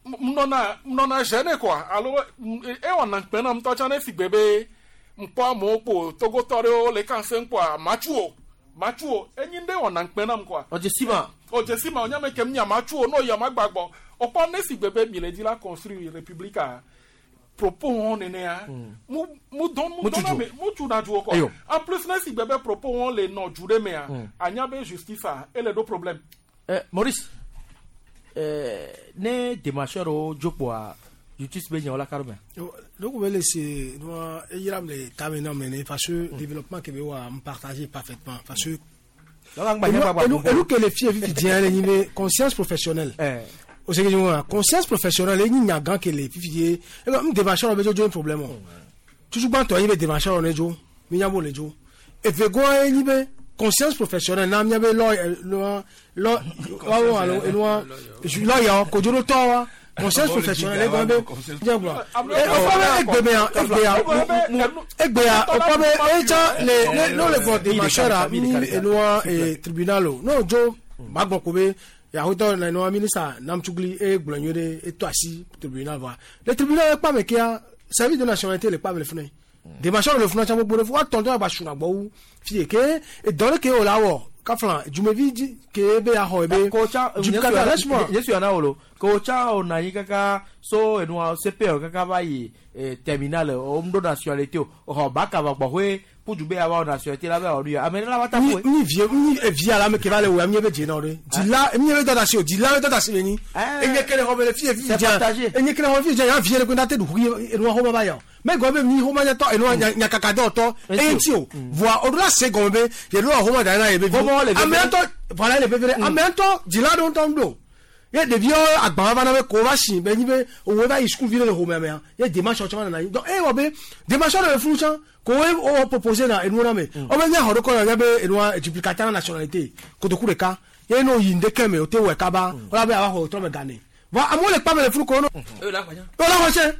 ŋnɔna gêné quoi alo ewɔna ŋkpɛ na ŋutɔ tsã ne si gbe be ŋkpɔ amewo kpo togotɔ ɖewo le kan se ŋkpɔa matsu o matsu o enyi ɖe wɔna ŋkpɛ nam quoi. Ɔdze si ma. Ɔdze si ma onyame kem nya matsu o n'o ya ma gbagbɔ o kpɔ ne si gbe be mi le dzi la construire république a propos wɔn nenea mu mu dɔn mu dɔn na me mu tu na du o Eyo. quoi en plus ne si gbe be propos wɔn le nɔ du ɖe mea anya be justice a ele ɖo problème. Maurice ne démarcheur wo dzo kpoa justice be nyawo la ka ɖo mea. Donc, on va laisser, nous, eyira me tame na me parce que développement que wa me partager parfaitement parce que Donc, et nous que les filles vivent bien les niveaux conscience professionnelle. O se que conscience professionnelle ni nyagan que les filles et comme démarcheur be jo problème. Toujours ban to yi be démarcheur on jo, mi nyabo le jo. Et ve go ni be conscience professionnelle na mi be lo lo lo wa wa lo eno lo ya ko jo to wa conscience professionnelle e be diablo e o fa be egbe ya egbe ya egbe ya o fa be e cha le le no le go démarcheur a mi eno e tribunal o no jo magbon ko be yahoo na eno ministre Namtsugli e gblɔ nyuie ɖe eto asi tribunal va le tribunal ekpa me kea service de nationalité le kpa me le funu démarcheur le funu tsa gbogbo ɖe wa tɔntɔn agba suna gbɔ wu fi ke edɔ ɖe ke o la wɔ kafla dzumevi dzi ke be yaxɔ ebe dukata laisse-moi Yesu yana wolo ko tsa o na anyi kaka so enua CPO kaka va yi terminal o ŋu ɖo nationalité o xɔ baka va gbɔxɔe Kudu be awa nationalité la be awɔ nu ya ame ɖe la va ta ƒoe. Ni vie ni evia la me ke va le wɔ mi be dze na o ɖe dzila mi be dada si o dzila be dada si le nyi enye kele xɔ be le fie fi C'est dze partagé. enye kele xɔ fi dze ya vie le ko na te ɖu xi enua xɔ ba ya o mɛ gɔme be mi xɔ ma nyatɔ enua nyakaka dɔ tɔ eye ŋuti o voa o ɖo la se gɔme be ye ɖo la xɔ ma da na ye be vi Xɔmɔ le veve. ame ŋutɔ voilà le veve ɖe ame ŋutɔ dzila ɖewo ŋutɔ ŋu ɖo ye ɖeviwo agba va na be ko va si be nyi be òwe va yi sukuvi ɖe le xɔmea mea ye démarche tsɔ va nana anyi donc eye wɔ be démarche ɖe le funu tsã ko wo wɔ proposé na enuwo na me wo be nye xɔ ɖe kɔ na be enua duplicata na nationalité kotoku ɖeka ye no yi ŋdeke me o te wɔe kaba wala be ava xɔ trɔ me gane voa amewo le kpame le funu ko wo no wo la xɔ se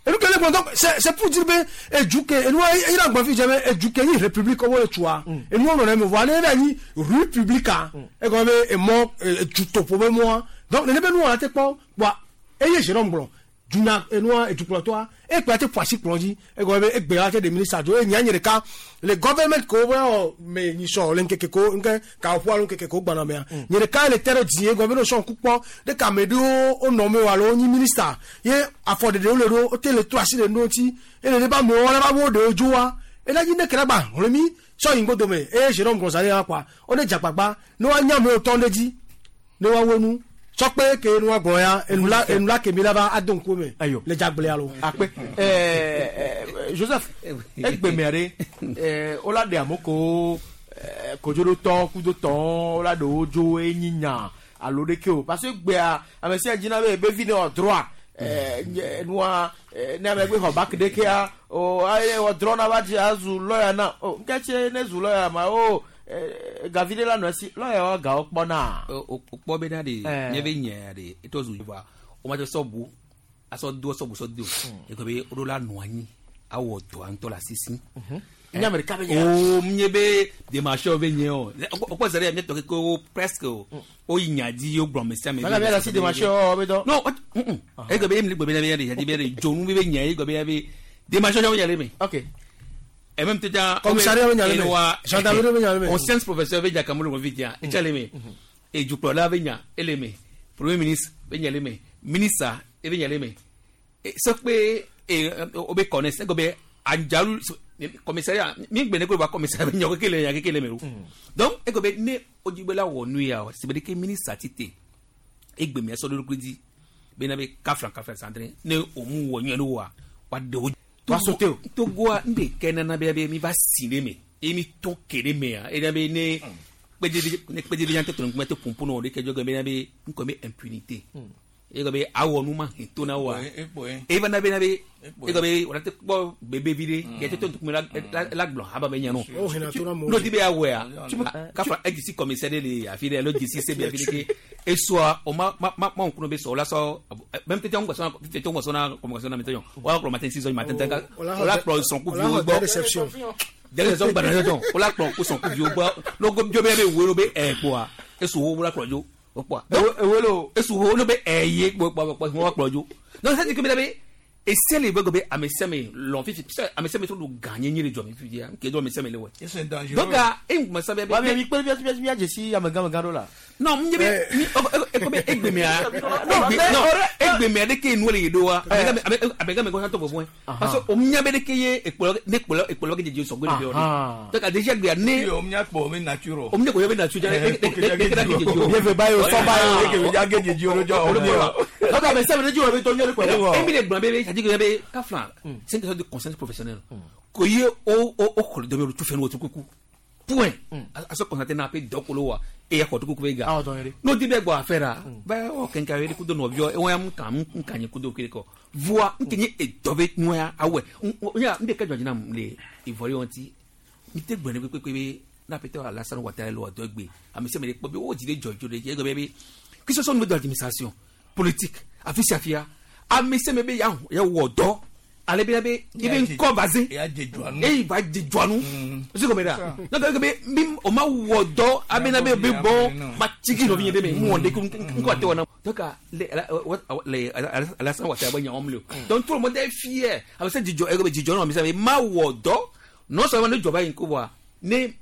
enu kele gbɔn donc c'est pour dire be edu ke enua eyina gbɔn fi dze be edu ke nyi république wo le tsoa enuwo nɔ na eme voa ne be anyi républica egɔme be emɔ edutoƒo be mɔa donc nene be nuwɔna te kpɔ kpoa eye Jérôme gblɔ duna enua edukplɔtɔa ekplɔ te ƒo asi kplɔ dzi egɔme be egbe la te ɖe ministre dzo eye nya nye ɖeka le government ko be wɔ me nyisɔ le ŋkeke ko ŋke kawoƒo alo ŋkeke ko gbana mea nye ɖeka le te ɖe dzi egɔme be ne sɔn ku kpɔ ɖeka ame ɖewo wonɔ me o alo wonyi ministre ye afɔɖeɖewo le ɖo wote le to asi le nuwo ŋuti eye ne ba amewo la ba wo ɖewo dzoa ena dzi ne ke la gba hlẽ mi sɔ yi ŋgɔdome eye Jérôme Gonzalez hã kɔa wo ne dzagbagba ne woanya amewo tɔ ɖe dzi ne woawo nu sɔkpe ke nu agblɔ ya enu la enu la kemi la va ado ŋku me le dzagblea lo. Akpe ɛɛ Joseph egbemea ɖe ɛɛ wola ɖe amewo ɛɛ kodzoɖotɔ kudotɔ wola ɖe wo dzo enyi nya alo ɖeke o parce que gbea ame sia dzina be ebe vi ne wɔ droit ɛɛ nye nua ɛɛ ne ame gbe xɔ bac ɖekea o aye wɔ droit na va dzi azu lawyer na o ŋketse ne zu lawyer ma o ɛɛ gavi ɖe la nɔ esi lawyer wa gawo kpɔna. O kpɔ bena ɖe Ɛɛ. nye be nye ɖe etɔ zu va o ma tse sɔbu asɔ do sɔbu sɔ do ekɔ be o ɖo la nɔ anyi awɔ dɔa ŋutɔ le asisi. Nye ame ɖeka be nye. O nye be démarche be nye o o kpɔ zɛ ɖe miatɔ keke wo presque o o yi nya dzi o gblɔ ame sia ame. Mele be asi démarche o be dɔ. Non egbe be emile gbe be na be ya de yadi be de dzonu be be nya ye gbe be ya be démarche be nya le me. Ok. Et même tout à Commissariat be nya le me. Gendarmerie be nya le me. Conscience professeur be nya kamolo be nya etsa le me. Et dukplɔla be nya ele me. Premier ministre be nya le me. Ministre e be nya le me. Et sɔkpe e o be connaisse egbe be anjalu commissariat mi gbe ne ko ba commissariat be nya keke le nya keke le me o. Donc egbe be ne odzigbe la wɔ nu ya o si be de ke ministre ti te egbe me sɔ ɖo dzi bena be kafla kafla sandre ne o mu wɔ nyuie ne wa wa de o. Wa sauter o. Togoa n de kɛ nana be be mi va si ɖe me eye mi tɔn ke ɖe mea eye be ne kpedze ne kpedze be nya te tɔn ŋkume te ƒoƒo na wo ɖe ke dzɔ be na be ŋkɔ be impunité eye be awɔ nu ma he to na wa eye va na be na be eye be wòle te kpɔ bebe vi ɖe ke te tɔn ŋkume la la la gblɔ haba be nya nɔ O hena to na mo. n'o ti be awɔa kafa edzisi commissaire ɖe le afi ɖe alo dzisi se be afi ɖe ke esua o ma ma ma ma ŋkunɔ be sɔ o la sɔ même tete ŋgbɔ sɔna tete ŋgbɔ sɔna communication na mi tɛ o la kplɔ matin 6 heures du matin tɛ o la kplɔ sɔnkuviwo gbɔ réception. dɛlɛ sɔn gbana tɔn o la kplɔ ko sɔnkuviwo gbɔ n'o ko dzo bɛ bɛ wo be ɛ kpoa esu wo la kplɔ dzo o kpoa ewolo esu wo n'o bɛ ɛ ye kpo kpo kpo wo kplɔ dzo donc c'est que bɛ ese le bɛ go bɛ ame sia ame lɔn fifi ame sia ame tó do gã nye nye le jɔ mi fifi ya ke do ame sia ame le wɛ C'est dangereux. donc e ŋkumɛ sábɛ Wa mi mi kpe mi mi mi adzesi amegãmegã ɖo la. non n ye bɛ ni eko bɛ egbemea non egbemea de ke nu le yi do wa abegame ko santo fofo parce que o nya bɛ de ke ye ekplɔ ne kplɔ ekplɔ ke jeje sɔgbɛ de bi o de donc déjà gbea ne o nya kpɔ o mi nature. o nya ko ye bɛ nature ne ne ne kɛra ke jeje o Bien fait, bayo, sɔ bayo. Eke ya ge jeje o jɔ o mi o. Donc ame sia ame ɖe dzi wɔ be tɔ nyuie ɖe kpɔ. E mi le gblɔ be c'est à dire que be kafla c'est une question de conscience professionnelle ko ye o o o xɔli dɔ bɛ tu fɛn o tu kuku point a sɔ constater n'a pe dɔ kolo wa e ya xɔ tu kuku bɛ ga Awɔ dɔn yɛrɛ. n'o di bɛ gbɔ affaire a bɛ ɔ kɛnkɛ ye kudo nɔviɔ e wɔn kan n kan ye kudo kiri kɔ voa n kɛ nye edɔ bɛ nɔya awɛ n ya n de kɛ jɔ jina le ivoirien ti n tɛ gbɛnɛ pépépé be n'a peut Alassane Ouattara le wɔ dɔ gbe ame sia ame de kpɔ be o dzi de jɔ dzo de dzi egbe be que ce soit au niveau de l'administration politique afi sia fia ame sia ame be ya ya wɔ dɔ ale be be i bɛ nkɔ basé Ya je jɔ anu. eyi va dze dzɔa nu o se gɔmɛ da n'o tɛ be mi o ma wɔ dɔ a bɛ na bɛ bɛ bɔ ma tigi nɔvi nye de mɛ mu wɔn de ko n ko a tɛ wɔ na donc le le Alassane Ouattara bɛ ɲɔgɔn minɛ o donc tout le monde est fier a bɛ se dzidzɔ e bɛ dzidzɔ nɔ ame sia ame ma wɔ dɔ non seulement ne jɔba in ko wa ne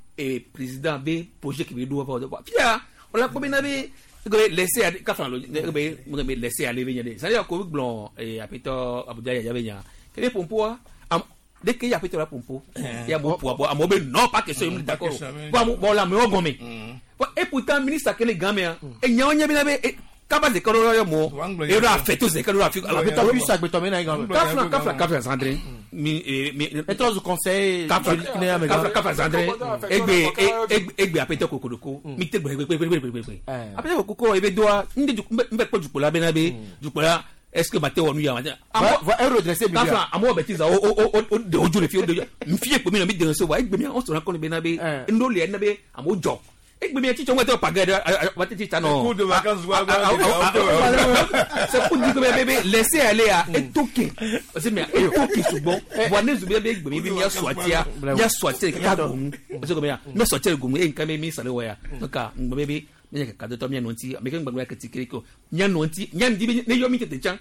président bɛ projet qui bɛ do wa fɔ fia o la ko bɛ na bɛ ebe laisser aller kafa lo ebe ebe laisser aller bɛ ɲɛ de c'est à dire ko gblɔ apetɔ Abuja yaya bɛ ɲa kele pompoa am Dès qu'il y a pété la pompo, il y a mon poids, bon, non, pas question, d'accord. Bon, bon, la, mais on gomme. Bon, et pourtant, ministre, quel est gamin, et n'y a pas de kaba ze kalo yɔ mɔ ero afɛ to ze kalo afi. Agbetɔ puisse agbetɔ mena yi gan. Kafla kafla kafla zandre mi mi. Etrɔ zu conseil. Kafla kafla kafla zandre egbe egbe apɛtɔ kokoroko mi te gbɛ gbɛ gbɛ gbɛ gbɛ. Apɛtɔ kokoko ebe doa n de n bɛ kpɔ dukpola bɛ na be dukpola est-ce que ma te wɔ nu ya ma te. Va redresser mi. Kafla amewo bɛ ti za o o o de o jo le fi o de n fiye kpe mi na mi de se wa egbe mi on sɔrɔ kɔni bɛ na be n do le na be amewo jɔ egbe mi tsi tsɔ ŋgɔ tɛ pagɛ dɛ wa tɛ tsi ta nɔ. Cours de vacances wa c'est pour dire que bébé laissez aller à etoke parce que mais etoke sugbɔ bon ne zubi bɛ egbe mi bi mia sɔtia mia sɔtia kaka gomu parce que mia mia sɔtia gomu e nka mi mi sale wɔ ya donc ngbɛ bébé mi yɛ kaka dɔtɔ mia nɔ ŋuti ame ke ŋgbɛ ya keti kiri ko mia nɔ ŋuti mia ŋdi ne yɔ mi tete tsã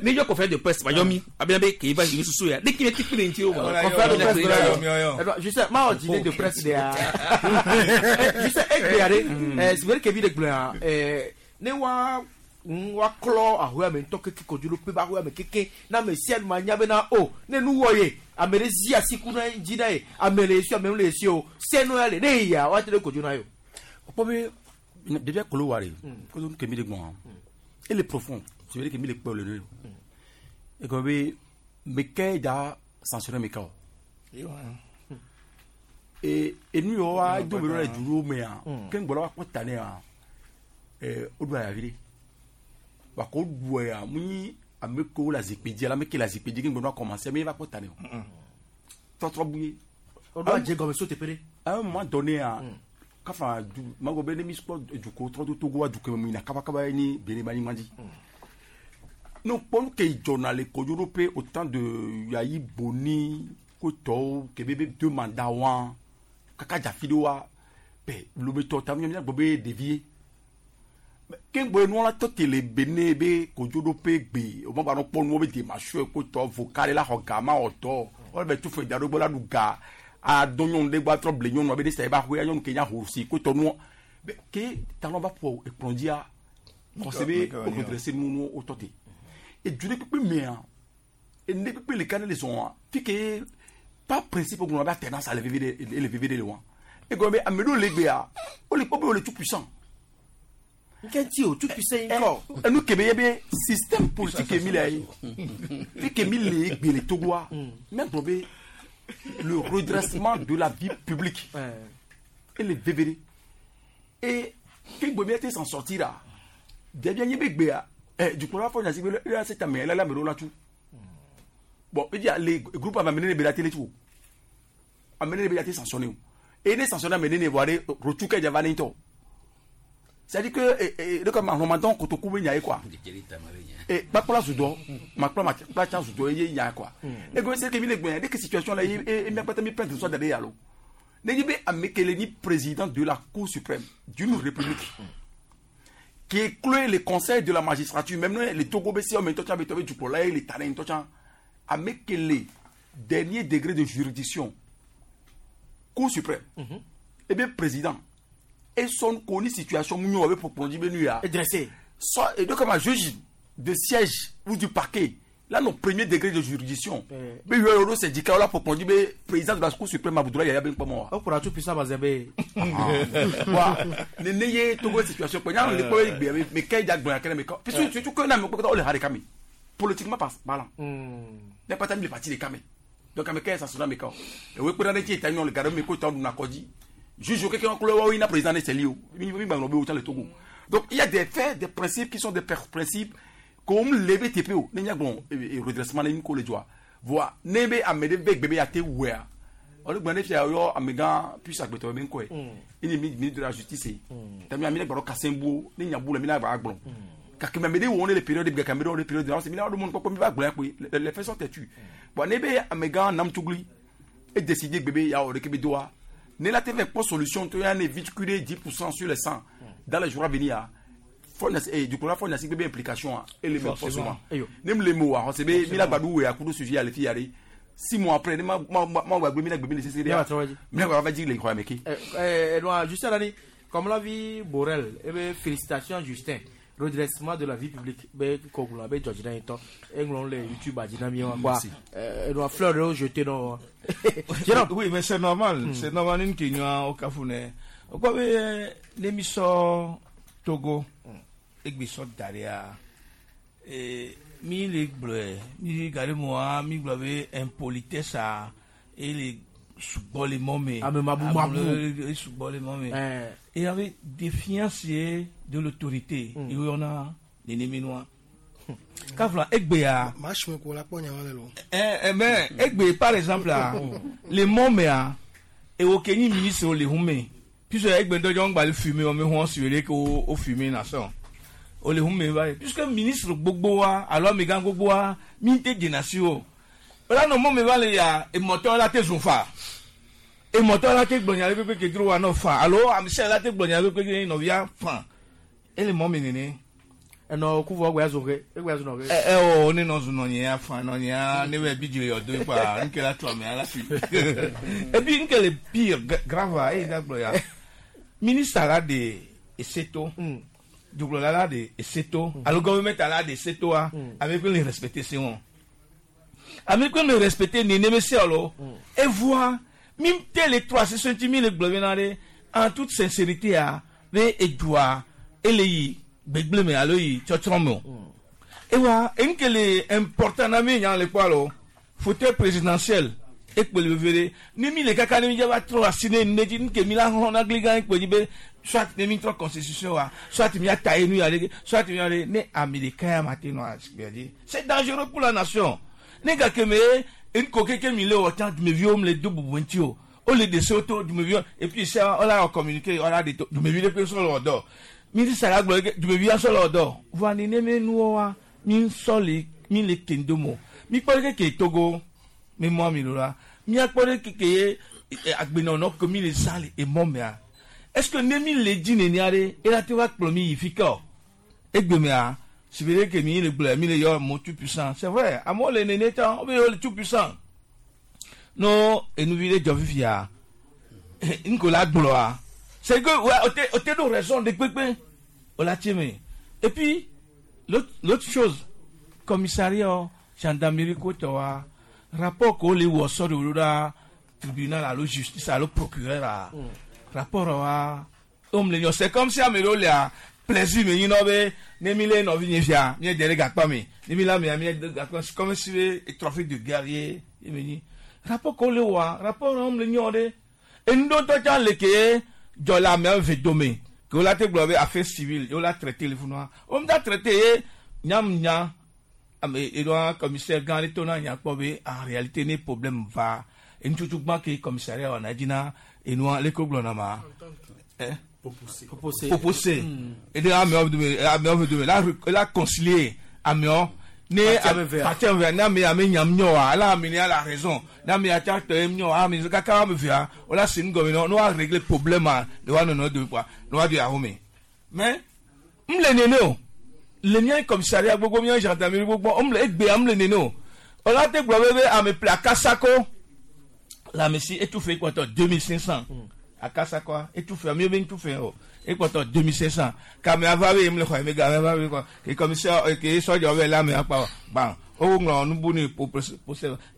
ne yɔ conférence de presse ma yɔ mi abena be k'e va yi susu ya ne k'i bɛ ti kiri ŋuti o ma. Conférence de presse je sais ma wɔ dîner de presse de ya je sais egbe ya de sibiri kebi de gblɔ ya ne wa wa klɔ ahoe ame ŋutɔ keke kodzo ɖo pe ba ahoe ame keke na ame sia ma nya bena o ne nu wɔ ye ame ɖe zi asi ku na dzi na ye ame le esi ame le esi o senu ya le ne yia wa te ɖe kodzo na ye o. Kpɔ be depuis kolo wari ko ke mi de gbɔn ele profond c'est vrai que mi le kpɔ le ne e ko be me ke da sanctionner me ka o e enu yɔ wa do me le duro me a ke ngbɔlɔ wa kpɔ ta ne a o do aya vi de wa ko du ya mu nyi ame ko la zikpui dzi la ame ke la zikpui dzi ke ngbɔlɔ wa commencer me va kpɔ ta ne o tɔtrɔ bu ye. O do adze gɔme so teƒe ɖe. À un moment donné a kafa du mago be ne mi kpɔ duko trɔ do Togo wa duko me yina kabakaba ye ni Benin ba anyigba dzi. Ne kpɔ nu ke dzɔna le Kodzoɖoƒe au temps de Yayi Boni ko tɔwo ke be be deux mandats wa kaka dza fi ɖe wa bɛ lometɔ ta mi gbɔ be ɖevi ye. Ke ŋgbɔ nua la tɔ te le Benin be Kodzoɖoƒe gbe o ma gba nɔ kpɔ nuwo be démarche ko tɔ voka la xɔ ga ma wɔ tɔ wọ́n bɛ tu fɛ da ɖo gbɔ la ɖu ga adɔ nyɔnu ɖe gbɔ atrɔ ble nyɔnua be ne sa eba xoya nyɔnu ke nya hosi ko tɔ nuɔ ke talɔ va ƒo ekplɔ dzia xɔse be o redresse nu nu o tɔ te edu ɖe kpekpe mea ene kpekpe le ka ne le zɔn fi ke par principe ŋlɔ be alternance le veve ɖe ele veve ɖe le wa egɔme be ame ɖewo le gbea wole kpɔ be wole tout puissant. Nkɛntì o tout puissant yi kɔ. Enu kebe ye be système politique mi le ye fi ke mi le gbe le Togoa mɛ gblɔ be le redressement de la vie publique et le VVD et ke gbe mi s'en sortir la ɖevia nye be gbea dukplɔla fɔ nyasi be le se tame la la ame ɖewo la tu bon e dia le groupe ame nene be la tele tu o ame nene be la te sanctionné o et ne sanctionné ame nene voa ɖe rotu ke dza va ne ŋutɔ. C'est-à-dire que le comme Ramadan kotoku be nya ye quoi. Et kpakpla zudɔ makpla makpla tsa zudɔ ye nya quoi. Et que c'est que mi le gbɛn dès que situation la ye e mi akpata mi plainte soit d'aller yalo. Ne yi be ame kele ni président de la Cour suprême d'une république qui exclut le conseil de la magistrature même les Togo be si o me tɔ tsa be tɔ be dukplɔla ye le ta ne tɔ tsa ame kele dernier degré de juridiction Cour suprême et bien président et son connu situation nous avait pour prendre ya et dressé soit et donc comme un juge de siège ou du parquet là nos premier degré de juridiction mais il y a syndicat là pour prendre président de la Cour suprême Abdoulaye Yaya ben pas moi on pourra tout puissant bazembe wa ne ne ye Togo situation ko nya le ko mais kay jak bon akere mais puis surtout que na me ko le hareka mi politiquement parlant n'est pas le parti de kame donc ame kay ça sona me ko et we ko na ti eta nyon le garo me ko ta na ko di juge quelqu'un qui a président de Célio. Donc il y a des faits, des principes qui sont des principes comme le BTPO, n'y a bon redressement ni ko le joie. Voilà, nebe amede bébé a te wea. On le gbane fia yo amega puis agbeto ben ko. Il est ministre de la justice. Tami amine gboro kasembo, ni nyabu le mina ba agbon. Kake amede wo on les périodes de Cameroun, les périodes de c'est mina do mon ko mi ba gbon ko les faits sont têtus. Bon nebe amega namtugli et décider bébé ya o de kebe doa. Ne la TV pas solution, tu as un véhiculé 10% sur les 100 dans les jours à venir. Du coup, la fois, il y a une implication et les forcément. Même les mots, c'est bien, il a badou et à coup de sujet à les filles, 6 mois après, ma va dire les croix, mais qui? Justin, comme l'a vu Borel, eh bien, félicitations Justin. Redressement de la vie publique be kɔgblɔ be dzɔdzi na yetɔ eŋlɔ le YouTube dzi na mi wa kpɔa enua fleur ɖewo jeté nɔ wa. Oui, mais c'est normal. C'est normal une question au Cameroun. Okɔ be ne mi sɔ Togo egbe sɔ da ɖea mi le gblɔe mi gale mɔa mi gblɔ be impolitesse a ele sugbɔ le mɔ me. Ame mabumabu. Ame sugbɔ le mɔ me. Et avec défiance de l'autorité eyɔna nenemi nua. Kafla egbea. Maa sùn kò la kpɔ nya wa le lo. Eh, mais egbe par exemple a le mɔ mea ewo ke nyi ministre le hu me puisque egbe ŋutɔ dzɔ ŋgba le fumer wɔn mi hɔn si le ke wo fumer na sɔn o le hu me va ye puisque ministre gbogbo wa alo amegã gbogbo wa mi te dzena si o wala nɔ mɔ me va le ya emɔtɔ la te zun fa emɔtɔ la te gblɔ nya ɖe kpekpe ke dro wa nɔ fa alo amisɛ la te gblɔ nya ɖe kpekpe ke nɔvia fa ele mɔ me nene. Enɔ kuvu egbe azu ke egbe azu nɔ ke. Ɛ ɛ o ne nɔ zu nɔ nye ya fa nɔ nye ya ne bɛ bi dzre yɔ do kpa nke la tɔ ame la fi et puis nke le pire grave a eye da gblɔ ya ministre la de eseto dugblɔla la de eseto alo gouvernement la de eseto wa ame kpe le respecter se wɔn ame kpe le respecter nene se alo evoa mi te le trɔ asi sɔnti mi le gblɔ bena ɖe en toute sincérité a be edua ele yi gbegble me alo yi tsɔtsrɔ̃ me o ewa nke le important na mi nya le kpɔ alo fauteuil présidentiel ekpe le veve ɖe ne mi le kaka ne mi dze va trɔ asi ne ne dzi nke mi la xlɔ na gli gã ekpe dzi be soit ne mi trɔ constitution wa soit mi ata ye nu ya ɖe soit mi ya ɖe ne ame ɖeka ya ma te nɔ asikpea dzi. C'est dangereux pour la nation. Ne gake me nko keke mi le wɔ tsã dumeviwo mi le do bubu ŋuti o o le dese wo to dumeviwo et puis ça on la communiqué on la de to dumevi ɖe kpe sɔ le wɔ dɔ ministre la gblɔ ke dumevi sɔ le wɔ dɔ voa neneme nuwo wa mi sɔ le mi le kendo mo mi kpɔ ɖe keke Togo mi mɔ mi do la miakpɔ ɖe keke ye agbenɔnɔ ke mi le zã le emɔ mea est ce que ne mi le dzi nenia ɖe ela te va kplɔ mi yi fi ke o egbe mea si be ɖe ke mi le gblɔ mi le yɔ mo tout puissant. C'est vrai, amewo le nene tsã wo be yewo le tout puissant no enuvi ɖe dzɔ fifia nko la gblɔa c'est que ouais, o te ɖo raison de kpekpe o la tse me. Et puis l'autre chose, commissariat gendarmerie ko tɔ wa rapport ko le wɔ sɔ de wolo ɖa tribunal alo justice alo procureur a rapport wa o mu le nyɔ. C'est comme si ame ɖewo lea plaisir me nyina be ne mi le nɔvi nye fia mi de ɖe gakpa me ne mi la mea mi de gakpa. C'est comme si be trophée de guerrier ye me nyi rapport ko le wa rapport wa mu le nyɔ ɖe enuɖotɔ tsã le ke dzɔ le amea ve dome ke wo la te gblɔ be affaire civile ye wo la traité le funua wo mu da traité ye nyam nya ame eɖoa commissaire gã ɖe to na nya kpɔ be en réalité ne problème va enutsotso gbã ke commissariat wɔna edzi na enua leke wo gblɔna ma Popose. Popose eɖe amewo dome amewo ve dome la la concilier amewo ne Parti ame vea. Parti ame vea ne ame ame nyam nyɔ wa ala ame ne la raison ne ame ya tsa tɔ nyɔ ame kaka ame vea wo la se nu gɔme ne wa régler problème a ne wa nɔnɔ dome quoi ne wa do yahoo me. Mais m le nene o le mía commissariat gbogbo mía gendarmerie gbogbo m le egbea m le nene o wòle te gblɔ be ame ple akasako le ame si etufe ekpɔtɔ 2500 akasakoa etufe ame be ŋutufe o ekpɔtɔ 2500 kame ava be m le xɔ eme ga ame ava be kɔ ke commissaire ke sɔdza be le ame akpa gbã wo ŋlɔ nubu ne po pose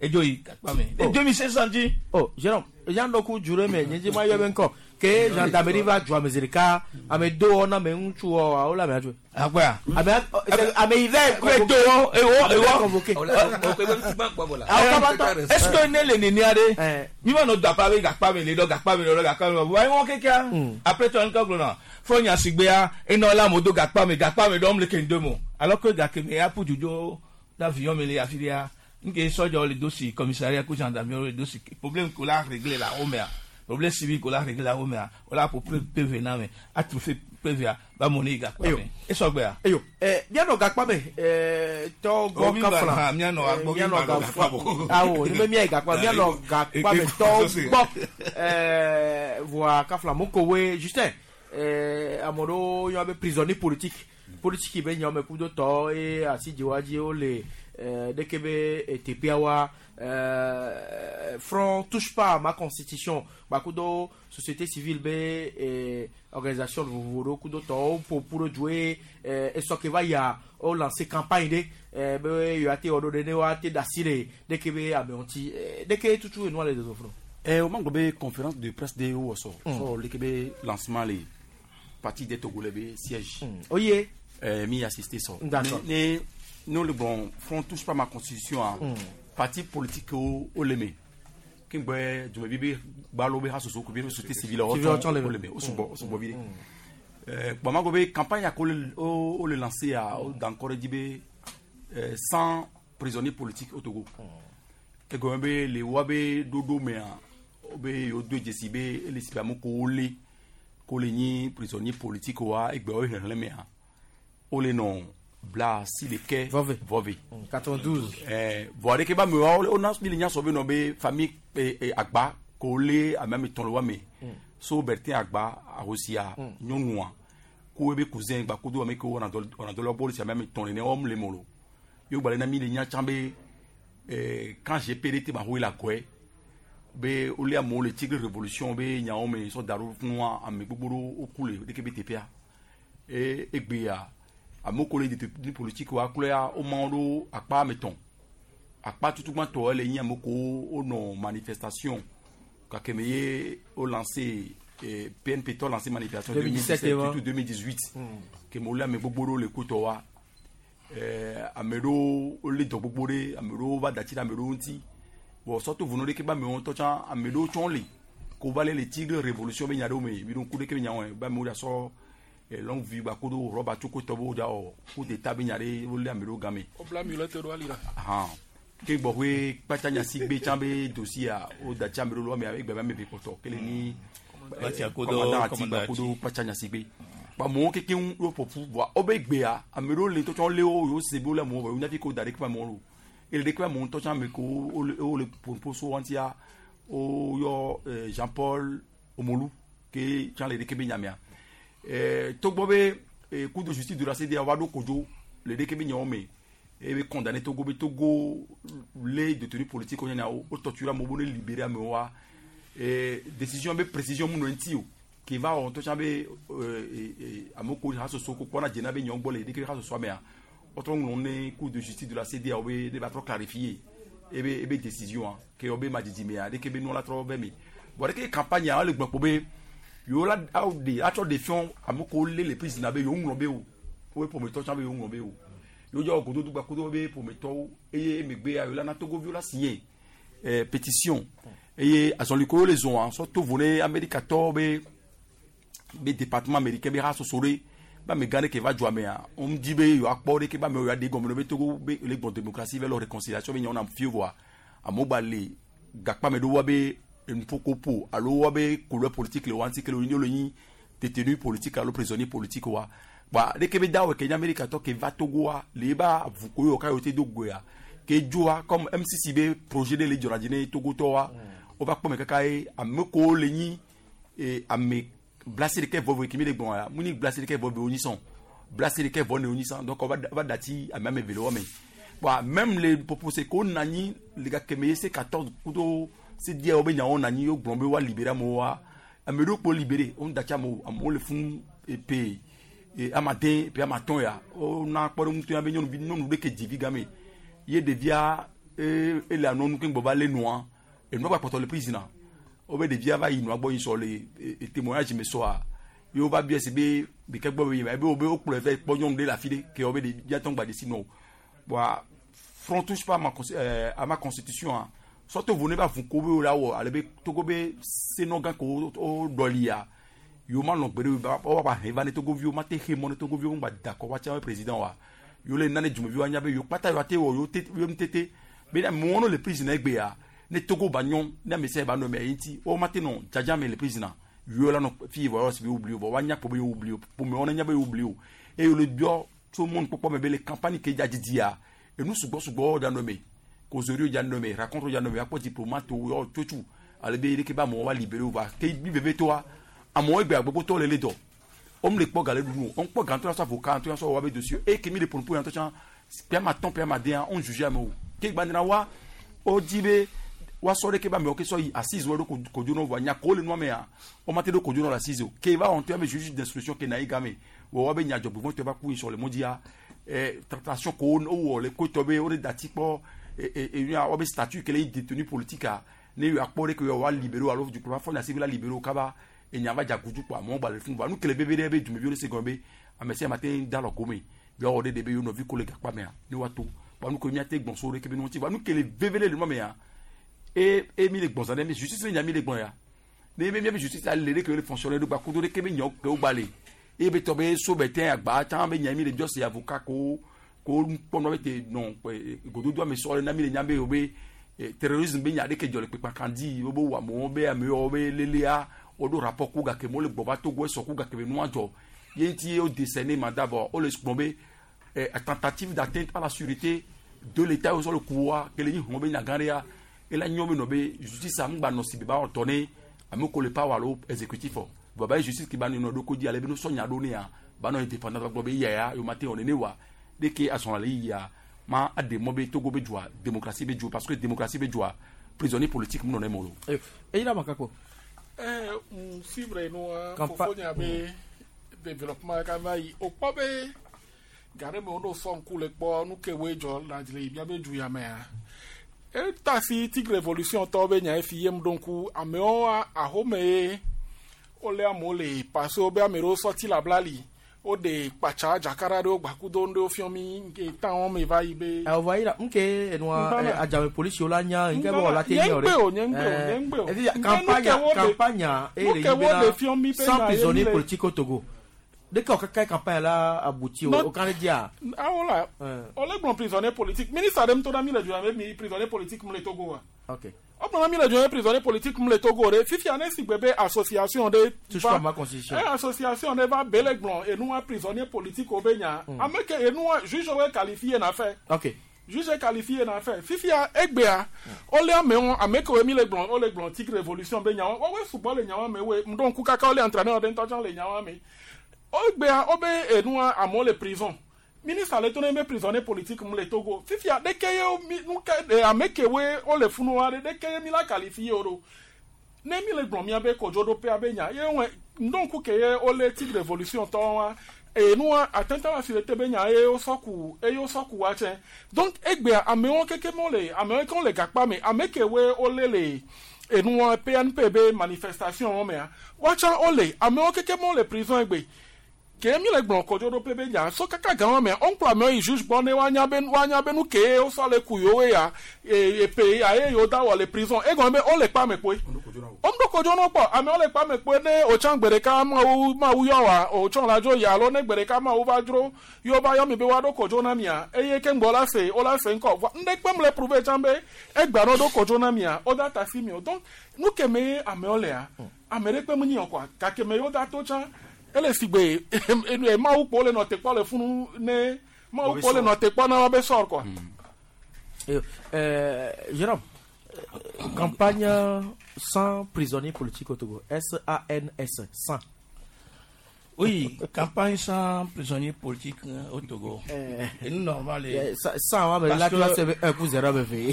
edzo yi gakpa me 2500 dzi. Oh, Jérôme, yan dɔ ku jure me nye dzi ma yɔ be ŋkɔ ke gendarmerie va dzɔ ame zi ɖeka ame do wɔ na ame ŋutsu wɔ wo le ame adzɔ. Akpɔa. Ame ame yi vɛ Ame do wɔ ewɔ ewɔ. Convoqué. Est-ce que ne le nenia ɖe mi ma nɔ do apa be gakpa me le dɔ gakpa me le dɔ gakpa me le wa ewɔ kekea après toi ŋkɔ gblɔna fɔ nya sigbea enɔ la mo do gakpa me dɔm le kende mo alors que gake me ya ƒu dzodzo d'avion me le afi ɖea nke sɔdzawo le do si commissariat ko gendarmerie le do si problème ko la régler la wo mea problème civil ko la régler la wo mea wo la ƒo PV na me atrufe PV a ba mo ne yi gakpa me esɔgbea. Eyo ɛ mianɔ gakpa me ɛ tɔ gbɔ Oh, mi ba- kafla ha, mianɔ agbɔ, mi mianɔ ba nɔ gakpa gakpa bo. awo ne be miayi gakpa mianɔ gakpa me tɔ gbɔ ɛ voa kafla mokowe Justin ɛ ame ɖewo yɔ be prisonnier politique. Politiki be nyawo me kudo tɔ eye asidzewa dzi wole ɖeke be teƒea wa Front touche pas à ma constitution gbakudo société civile be organisation vovovo ɖewo kudo tɔwo ƒoƒu ɖo du eye esɔ ke va yia wo lancer campagne ɖe be yewoate wɔ ɖo ɖe ne woate da asi ɖe ɖeke be amewo ŋuti ɖeke tutu enua le dodo funu. O ma gblɔ be conférence de presse de wowɔ sɔ sɔ leke be lancement le Parti des Togolais be siège. Oye. Mi assister sɔ. D'accord. Ne ne le gblɔ Front touche pas ma constitution a parti politique wo le me ke gbɛ dumevi be gbalo be hasoso ko be société civile wo Civile le wo le me wo sugbɔ vi ɖe. Kpɔ ma gblɔ be campagne a ko le wo le lancer a wo da ŋkɔ ɖe dzi be 100 prisonniers politiques au Togo. Egɔme be le woa be ɖoɖo mea wo be yewo do dzesi be ele si be ame ko wole ko le nyi prisonnier politique wa egbe wo xexlẽ mea wole nɔ 69 vɔve vɔve. 92. Vɔ aɖeke be amewo wona mi le nya sɔ be nɔ be famille Agba ko le ame ame tɔn le wa me so Bertin Agba ahosia nyɔnua ko ebe cousin gba kodo ame ke wɔna dɔ wɔna dɔ le wo gbɔ ame ame tɔn le ne wɔm le mo lo yewo gba le na mi le nya tsã be quand GPD te ma ho la kɔe be wole amewo le Tigre révolution be nyawo me sɔ da ɖo nua ame gbogbo ɖewo woku le ɖeke be teƒea e egbea amewo ko le détenu politique wa kloya woma wo ɖo akpa ame tɔn. Akpa tutugbãtɔ ele nyi ame ko wonɔ manifestation gake me ye wo lancé PNP tɔ lancé manifestation 2017 2017 tutu 2018 ke me wole ame gbogbo ɖewo le kutɔ wa ame ɖewo wole dɔ gbogbo ɖe ame ɖewo va da tsi ɖe ame ɖewo ŋuti bon sɔto vono ɖeke be amewo ŋutɔ tsã ame ɖewo tsɔ le ko va le le Tigre révolution be nya ɖewo me mi ɖo ŋku ɖeke be nya wɔe be amewo dza sɔ longue vue gba kodo rɔba tsokotɔ be wo dza wɔ coup d'état be nya ɖe wole ame ɖewo game. Wobla mi le te ɖo ali la. Ahan ke gbɔƒe kpatsa nyasigbe tsã be dossier wo da tsi ame ɖewo le ame egbe be ame eve kpɔtɔ ke le ni Kpatsa kodo commandant ati commandant gba kodo kpatsa nyasigbe ba amewo keke ŋu wo ƒoƒu voa wobe gbea ame ɖewo le ŋutɔ tsã le wo yewo se be wole amewo vɔ yewo nya fi ke wo da ɖe ke be amewo lo ele ɖe ke be amewo ŋutɔ tsã ame ke wo le ƒoƒo so wa ŋutia woyɔ Jean Paul Omolu ke tsã le ɖeke be nyamea togbɔ be cour de justice de la CEDEAO va ɖo kodzo le ɖeke be nyawo me ebe condamné Togo be Togo le détenu politique wo nyawo wo torturer amewo be ne libérer amewo wa décision be précision mu nɔ eŋuti o ke va wɔ ŋutɔ tsã be amewo ko hasoso ko kpɔna dzena be nyawo gbɔ le ɖeke hasosoa mea wotrɔ ŋlɔ ne cour de justice de la CEDEAO be ne va trɔ clarifier ebe décision a ke wo be madzidzi ɖeke be nua la trɔ be me bon ɖeke campagne a wole gblɔ kpo be yewo la awo de atsɔ de fiɔ ame ko lé le prison be yewo ŋlɔ be o wobe ƒometɔ tsã be yewo ŋlɔ be o yewo dzɔ gododo gba kodo be ƒometɔwo eye emegbea yewo la na togoviwo la signé pétition eye azɔli ko le zɔn sɔ to vo ne amerikatɔwo be département américain be hasoso ɖe be amegã ɖe ke va dzoa mea wom di be yewoakpɔ ɖeke be amewo yewoaɖe gɔme ɖe be Togo be le gbɔn démocratie vɛ lɔ réconciliation be nyawo na fie voa amewo gba le gakpame ɖo wa be enuƒokoƒo alo wa be couleur politique le wa ŋuti ke le le nyi détenu politique alo prisonnier politique wa ba ɖeke be dawɔ ke nye amerikatɔ ke va Togo wa le eba avu ko yewo ka yewo te do goea ke dzoa comme MCC be projet ɖe le dzɔna dzi ne Togotɔ wa wova kpɔ me kaka ye ame kowo le nyi ame 69 vɔ ke mi le gbɔn ya mu ni 69 vɔ wo nyi sɔn 69 vɔ ne wo nyi sɔn donc va dati ame ame eve le wo me. Bon, même le proposé ko na anyi le gake me ye C14 kudo C10 wo be nyawo na anyi wo gblɔ be wa libérer amewo wa ame ɖewo kpo libéré wo dati amewo amewo le funu epe amaden epe amatɔn ya wona kpɔɖeŋu ya be nyɔnuvi nyɔnu ɖe ke dzi vi game ye ɖevia ele anɔnu ke gbɔ va lé nua enua gba kpɔtɔ le prison na wobe ɖevia va yi nua gbɔ yi sɔ le témoignage me sɔa ye wova biɛ si be ɖeke gbɔ be yi ma ebe wo be wokplɔe vɛ kpɔ nyɔnu ɖe le afi ɖe ke wo be ɖevia tɔ gba desi nɔ o. Bon, Front touche pas à ma constitution a sɔto vo ne va vu ko be wo la wɔ ale be Togo be senɔgã ko wo ɖɔlia yewo ma lɔn gbe ɖe wo va he va ne togoviwo ma te xe mɔ ne togoviwo ŋgba da kɔ wa tsã be président wa yewo le nane dumeviwo anya be yewo kpata yewo ate wɔ yewo te yewo ŋutete be ne amewo no le prison egbea ne Togo ba nyɔ ne ame sia ba nɔ eme ye ŋuti wo ma te nɔ dzadza me le prison yewo la nɔ fi vɔ yɔ si be wo oublié o vɔ woanya kpɔ be yewo oublié o ƒomewo ne nya be yewo oublié o eye wo le biɔ tso mɔnukpɔkpɔ me be le campagne ke dza dzidzia enu sugbɔ sugbɔ dza nɔ eme causerie dza nɔ eme rencontre dza nɔ eme akpɔ diplomate wo yɔ tsotsu ale be ɖeke be amewo va libéré wo va ke bi veve toa amewo egbe agbogbotɔ le le dɔ. Om le kpɔ gale ɖu o. On kpɔ gantɔ la sɔ avocat ŋutɔ sɔ wɔ be dossier. E ke mi le ƒonuƒo ya ŋutɔ tsã pia ma tɔn pia ma den on juge amewo. Ke gba wa o di be wa sɔ ɖe ke ba amewo ke sɔ yi assise wɔ ɖo kodzo nɔ vɔa nya ko le nua mea o ma te ɖo kodzo nɔ le assise o. Ke va wɔn tɔ be juge d'instruction ke na yi game wɔ wa be nya dzɔgbevɔ̃ tɔ va ku yi sɔ le mɔdzia tractation ko wo wɔ le kotɔ be wo ɖe dati kpɔ e wa be statut ke le yi détenu politique a ne yɔ akpɔ ɖe ke yɔ wa libéré alo dukplɔ va fɔ nya si be la libéré kaba enya va dza gudu kpɔ amewo gba le fún va nu kele bebe ɖe be dumeviwo ɖe se gɔme be ame sia ame te da lɔ gome yɔ wɔ ɖe ɖe be yɔ nɔvi ko le gakpa mea ne wa to wa nu ke miate gbɔn so ɖe ke be nu ŋuti va nu kele veve ɖe le nua mea e e mi le gbɔn zã ɖe mi justice be nya mi le gbɔn ya ne be miabe justice ale ɖe ke le fonctionner ɖo gba kudo ɖe ke be nyawo ke wo gba le eye be tɔ be so be tɛ agba tsã be nya mi le biɔ se avocat ko ko kpɔnɔ be te nɔ gododo ame sɔ le na mi le nya be wo be terrorisme be nya ɖe ke dzɔ le kpekpa kan di wo be wɔ amewo be amewo be lelea woɖo rapport ku gake mo le gbɔ va Togo esɔ ku gake be nua dzɔ ye ŋuti wo décerner mandat vɔ wo le gblɔ be tentative d'atteinte à la sûreté de l'État wo sɔ le ku wa ke le nyi hɔn be nya gã ɖea ela nyɔ be nɔ be justice ŋgba nɔ si be ba wɔ tɔ ne ame ko le power alo exécutif o vɔ ba ye justice ke ba nɔ ɖo ko dzi ale be no sɔ nya ɖo ne ya ba nɔ indépendant gblɔ be eya ya yo ma te wɔ nene wa de ke azɔn le yia ma aɖe mɔ be Togo be dzoa démocratie be dzo parce que démocratie be dzoa prisonnier politique mu nɔ ne mo lo. Eyi la ma kakpo. Suivre nua fofonya be développement ka va yi o kpɔ be ga ɖe me woɖo sɔ ŋku le kpɔ nu ke woe dzɔ le le miabe du ya mea eta si tigre révolution tɔwo be nya efi yem ɖo ŋku amewo ahome ye wole amewo le parce wo be ame ɖewo sɔti le abla li woɖe kpatsa dzakara ɖewo gbakudo ɖewo fiɔ mi nke tan me va yi be. Awɔ yi la nke enua adzame polisiwo la nya nke bɔ la te nya o ɖe. Nye ŋgbe o nye ŋgbe o nye ŋgbe o. Efi campagne campagne e le yi bena sans prisonnier politique au Togo. De ke kaka campagne la abouti o o kan le dia. Awo la o le gblɔ prisonnier politique ministre ɖe ŋutɔ na mi le du ya me mi prisonnier politique mu le Togo wa. Ok. O gblɔ na mi le du ya prisonnier politique mu le Togo ɖe fifia ne si gbe be association ɖe. Touche pas ma constitution. Association ɖe va be le gblɔ enua prisonnier politique wo be nya. Ame ke enua juge wo qualifié na fɛ. Ok. Juge qualifié na fɛ fifia egbea wole amewo ame kewo mi le gblɔ wole gblɔ tigre révolution be nyawo woawoe sugbɔ le nyawo me woe ŋdɔ ŋku kaka wole entraîneur ɖe ŋutɔ tsã le nyawo me wogbea wobe enua amewo le prison ministre le to ne be prisonnier politique mu le Togo fifia ɖeke ye mi nu ke ame kewoe wole funua ɖe ɖeke ye mi la qualifié wo ɖo ne mi le gblɔ mia be kodzoɖoƒea be nya ye wɔe ŋdɔ ŋku ke ye wole tigre révolution tɔwo wa enua atteinte à la sûreté be nya ye wosɔ ku eye wosɔ ku wa tsɛ donc egbea amewo keke me wole amewo ke wole gakpa me ame kewoe wole le enua PNP be manifestation wo mea woatsã wole amewo keke me wole prison egbe ke mi le gblɔ kodzoɖoƒe be nya so kaka gã wa mea woŋkplɔ amewo yi juge gbɔ ne woanya be woanya be nu ke wosɔ le ku yewo ya epe ya ye yewo da wɔ le prison egɔme be wole kpa me kpoe woŋɖo kodzo no kpɔ amewo le kpa me kpoe ne wotsã gbe ɖeka mawu mawu yɔ wa wotsɔ la dzo yi alo ne gbe ɖeka mawu va dzro yewo va yɔ mi be woaɖo kodzo na mia eye ke ŋgbɔ la se wola se ŋkɔ vɔ ŋɖe kpem le prouver tsã be egbea ne woɖo kodzo na mia woda ta si mi o donc nu ke me amewo lea ame ɖe kpem nyi o kɔa gake me yewo da to tsã ele si gbe mawu kpɔ le nɔ te kpɔ le funu ne mawu kpɔ le nɔ te kpɔ na woabe sɔr kɔa. Jérôme, campagne sans prisonniers politiques au Togo, S-A-N-S, sans. Oui, campagne sans prisonniers politiques au Togo. Et nous, normal. Sans, mais là, tu vas un coup zéro, bébé.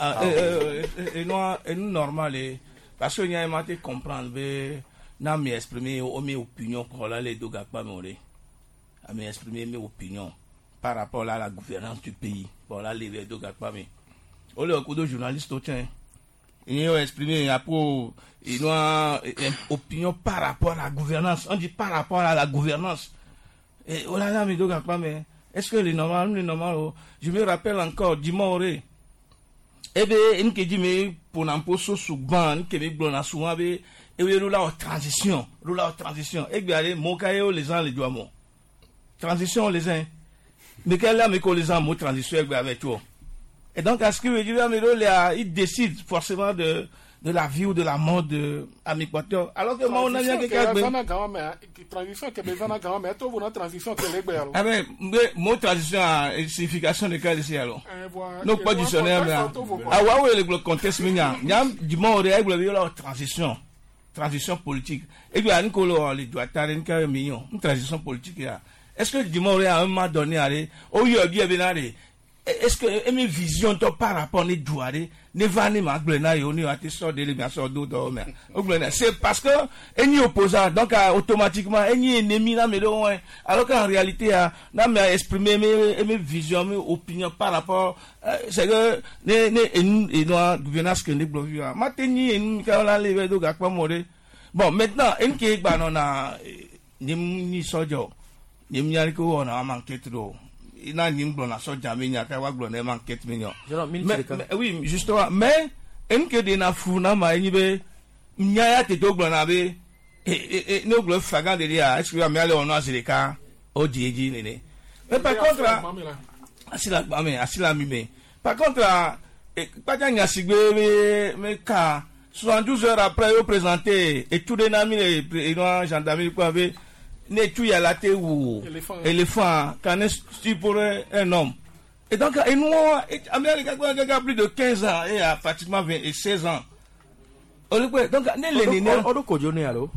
Et nous, normal. Parce que nous avons comprendre, n'a mi exprimer mes opinions pour là les deux gars pas a mi exprimer mes opinions par rapport à la gouvernance du pays pour là les deux gars pas mais au le coup de journaliste au tien ils ont exprimé après ils ont une opinion par rapport à la gouvernance on dit par rapport à la gouvernance et oh là là mes deux gars pas mais est-ce que les normal les normal je me rappelle encore Dimore eh bien une qui dit mais pour n'importe souvent que me blona souvent be et oui nous là en transition nous là en transition et bien allez mon cahier les gens les doigts mon transition les uns mais quel là mais qu'on les gens mot transition avec toi et donc à ce que veut dire mais là ils décident forcément de la vie ou de la mort de Ami Quator alors que moi on a bien quelqu'un transition que besoin na grand mais toi vous na transition que les alors ah ben mot transition a signification de quel ici alors non pas dictionnaire mais ah ouais ouais le contexte mais nya du mot la transition. Transition politique. Et puis, à Nkolo, les doigts millions, une transition politique, est-ce que du moment à un moment donné, allez, oh, il y a bien, allez, est-ce que une vision toi par rapport ne doit ne va ne ma gblena yo ne ate sort de le sort do mais c'est parce que eni opposant donc automatiquement eni ennemi là mais alors qu'en réalité n'a mais exprimer mes visions mes opinions par rapport c'est que ne ne et non gouvernance que ne blovi ma teni eni ka la le do ga pa mo bon maintenant en ke gba no na ni ni sojo ni mi ari ko na ma enquête do ina ni gblɔ na sɔdza mi nya ka wa gblɔ ne ma enquête mi nya. Mais oui justement mais en ke de na fu na ma enyi be nya ya te to gblɔ na be ne gblɔ fagan de dia est-ce que ame ale ono azireka o di eji nene. Mais par contre asila gba me asila mi me par contre kpaja nya sigbe me ka 72 heures après yo présenté et tout de na mi le gendarmerie quoi be ne tu ya la te ou éléphant quand est pour un homme. Et donc et nous Amérique a plus de 15 ans et a pratiquement 20 et 16 ans. Donc ne le ne odu kojo ne alo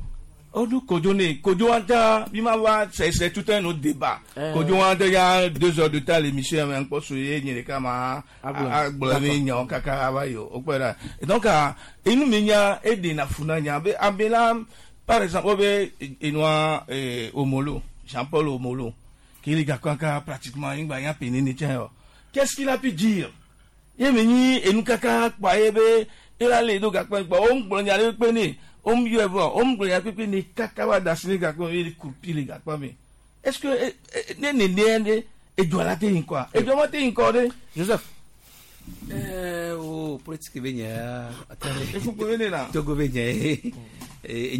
odu kojo ne kojo anta bima wa c'est tout un autre débat. Kojo anta y a 2 heures de temps l'émission mais encore sur ni le kama agbole nyan kaka abayo opera. Et donc et nous menya et de na funa nya be abela. Par exemple, Enoa Omolo, Jean-Paul Omolo, qui est pratiquement qu'est-ce qu'il a pu dire? Il est venu et nous kaka il a les deux est-ce que Joseph? Oh, politique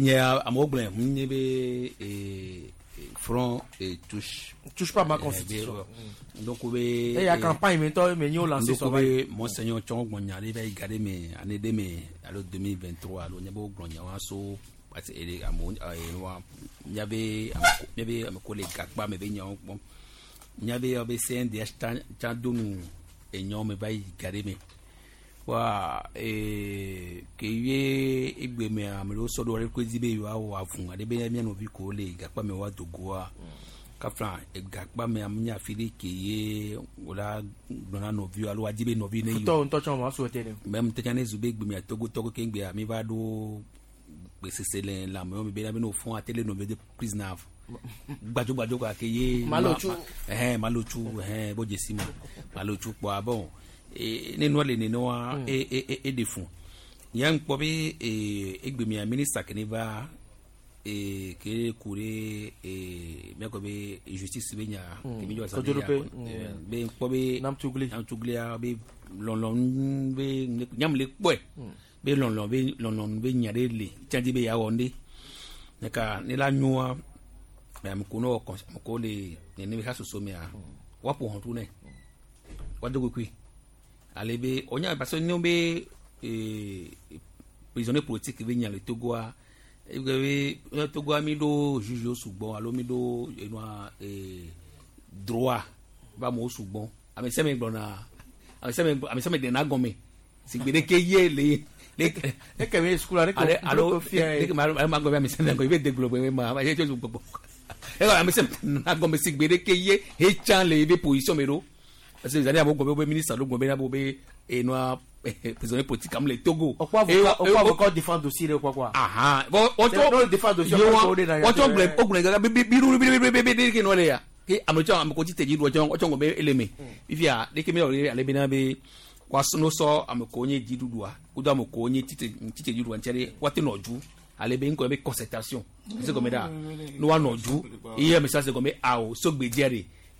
nya amewo gblɔe nye be front et touche touche pas ma constitution donc be et ya campagne mais toi mais yo lancer so be monseigneur tsɔn gbɔnya ɖe va yi ga ɖe me année ɖe me alo 2023 alo nye be wo gblɔ nya wa so parce que ele amewo wa miabe miabe ame ko le gakpa me be nyawo kpɔm miabe be CNDH tsa do nu enyawo me va yi ga ɖe me. Wa ke ye egbe me ame ɖewo sɔ ɖo ɖe koe di be yewoawɔ avu aɖe be mía nɔvi ko le gakpa me woado goa kafla gakpa me ame nye afi ɖe ke ye wola gblɔ na nɔviwo alo woadi be nɔvi ne yi. Futɔ ŋutɔ tsɔ ma souhaité ne. Mɛ ŋutɔ ne zu be egbe mea Togo tɔgo ke ŋgbea mi va ɖo gbesese le lãmewo me be ne wofɔ̃ ate le nɔviwo de prison gbadzo gbadzo kɔ ke ye. Malotsu. Malotsu bo dzesi ma malotsu kpɔa bon. Ne nua le nenoa e de fun ya ŋkpɔ be egbe mia ministre ke ne va ke ku ɖe miakɔ be justice be nya ke mi dzɔ zã be ŋkpɔ be Namtuglia be lɔlɔnu be nyam le kpɔe be lɔlɔnu be nya ɖe le tiadi be yawɔ ŋɖe neka ne la nyoa ame ko ne wɔ ame ko le nene be hasoso mea woaƒo hɔntu nɛ woado kokoe. Ale be onya parce que nous be prisonnier politique be nya le Togo a be Togo mi do juge sugbon alo mi do enwa droit ba mo sugbon ame se me gbona ame se me de na gome si gbede ke ye le le ke me school ale alo le ma gome ame se me go be de glo be ma ma je je gbogbo e ame se na gome si gbede ke ye he chan le be position me do. Parce que les années avant, le ministre le et noir prisonnier politique comme les Togo. Pourquoi avocat défend dossier quoi quoi? Ah ah. On défend dossier. On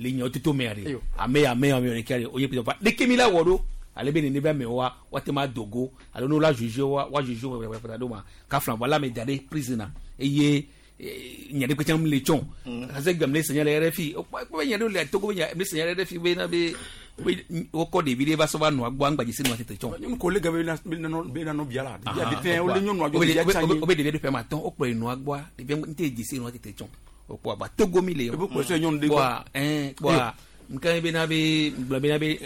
le nya toto me are ame ame ame ne kare oye pito pa de kemi la wodo ale be ne be me wa wa te ma dogo ale no la juge wa juge wa pa do ma ka flan wala me jade prisoner eye nya de kwechan le chon ase gam le senya le RFI o pa nya do le Togo nya le senya le RFI be na be o ko de bi ba so ba no agbo angba jisi no tete chon nyonu ko le gabe na be na no biala dia de fin o le nyonu ajo dia chanyi o be de fe ma ton o pe no agbo de bi nte jisi no tete chon o ba Togo mi le yo wa wa nkan be na be be na be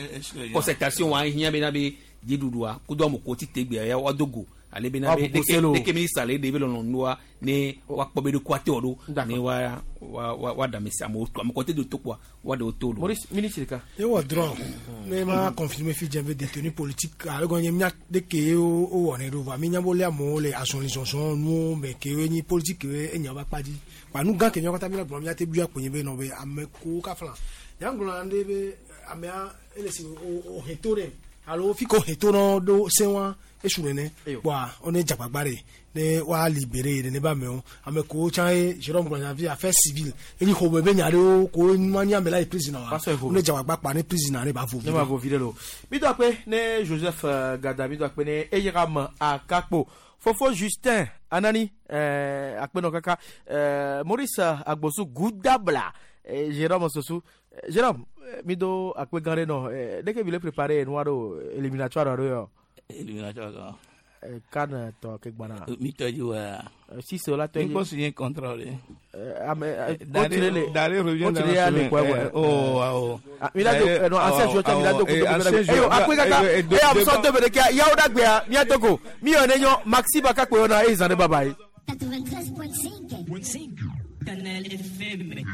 concertation wa hian be na be jidudua kudo mo ko ti tegbe ya wa dogo Ale bena Wa be ƒoƒo se lo. ɖeke minista le ɖe be lɔlɔ̃nua ne woakpɔ be ɖokuia te wɔ ɖo ne wa wa wa wa ɖe ame si amewo to ame kɔte do to kpoa wa ɖe wo to ɖo. Maurice miniti ɖeka. Ye wɔ drɔn ne ma confirmer fi dze be détenu politique ale gɔn nye mía de ke wo wɔnɛ ɖo vɔa mi nya be wolé amewo le azɔlizɔzɔ nuwo me ke wo nyi politique ye enya va kpa dzi kpa nu gã ke míawo katã mi le gblɔm mía te bia kponye be nɔ be ame kowo kafla nya gblɔ na ɖe be amea ele si wo he to ɖe alo fi ko he to nɔ ɖo se wa esu nene kpoa wo ne dzagbagba ɖe ne woa libéré nene be amewo ame kowo tsã ye Jérôme gblɔ nya fi affaire civile enyi xɔme be nya ɖewo ko nua nyi ame la yi prison wa Va sɔ evo. wo ne dzagbagba kpa ne prison ne ba vo ne ma vo vi ɖe lo mi do akpe ne Joseph Gada mi do akpe ne Eyiram Akakpo Fofo Justin Anani akpe nɔ kaka Maurice Agbosu Gudabla Jérôme Sosu. Jérôme mi do akpe gã ɖe nɔ ɖeke mi le préparé nua ɖo éliminatoire ɖo yɔ. Éliminatoire kan. Kan tɔ ke gbana. Mi tɔ dzi wa. Sise la tɔ Mi kpɔ signé contrat le. Ame Daré Daré revient dans la semaine. Oh, oh. Mi la do non ancien joueur mi la do Eh, ancien eyo joueur. akpe kaka Eh, eyo amusɔ to bere kia yawo dagbea mia togo mi yɔ ne nyɔ Maxi Bakakpo yɔ na eyi zan ne bye bye. 93.5. Canal FM.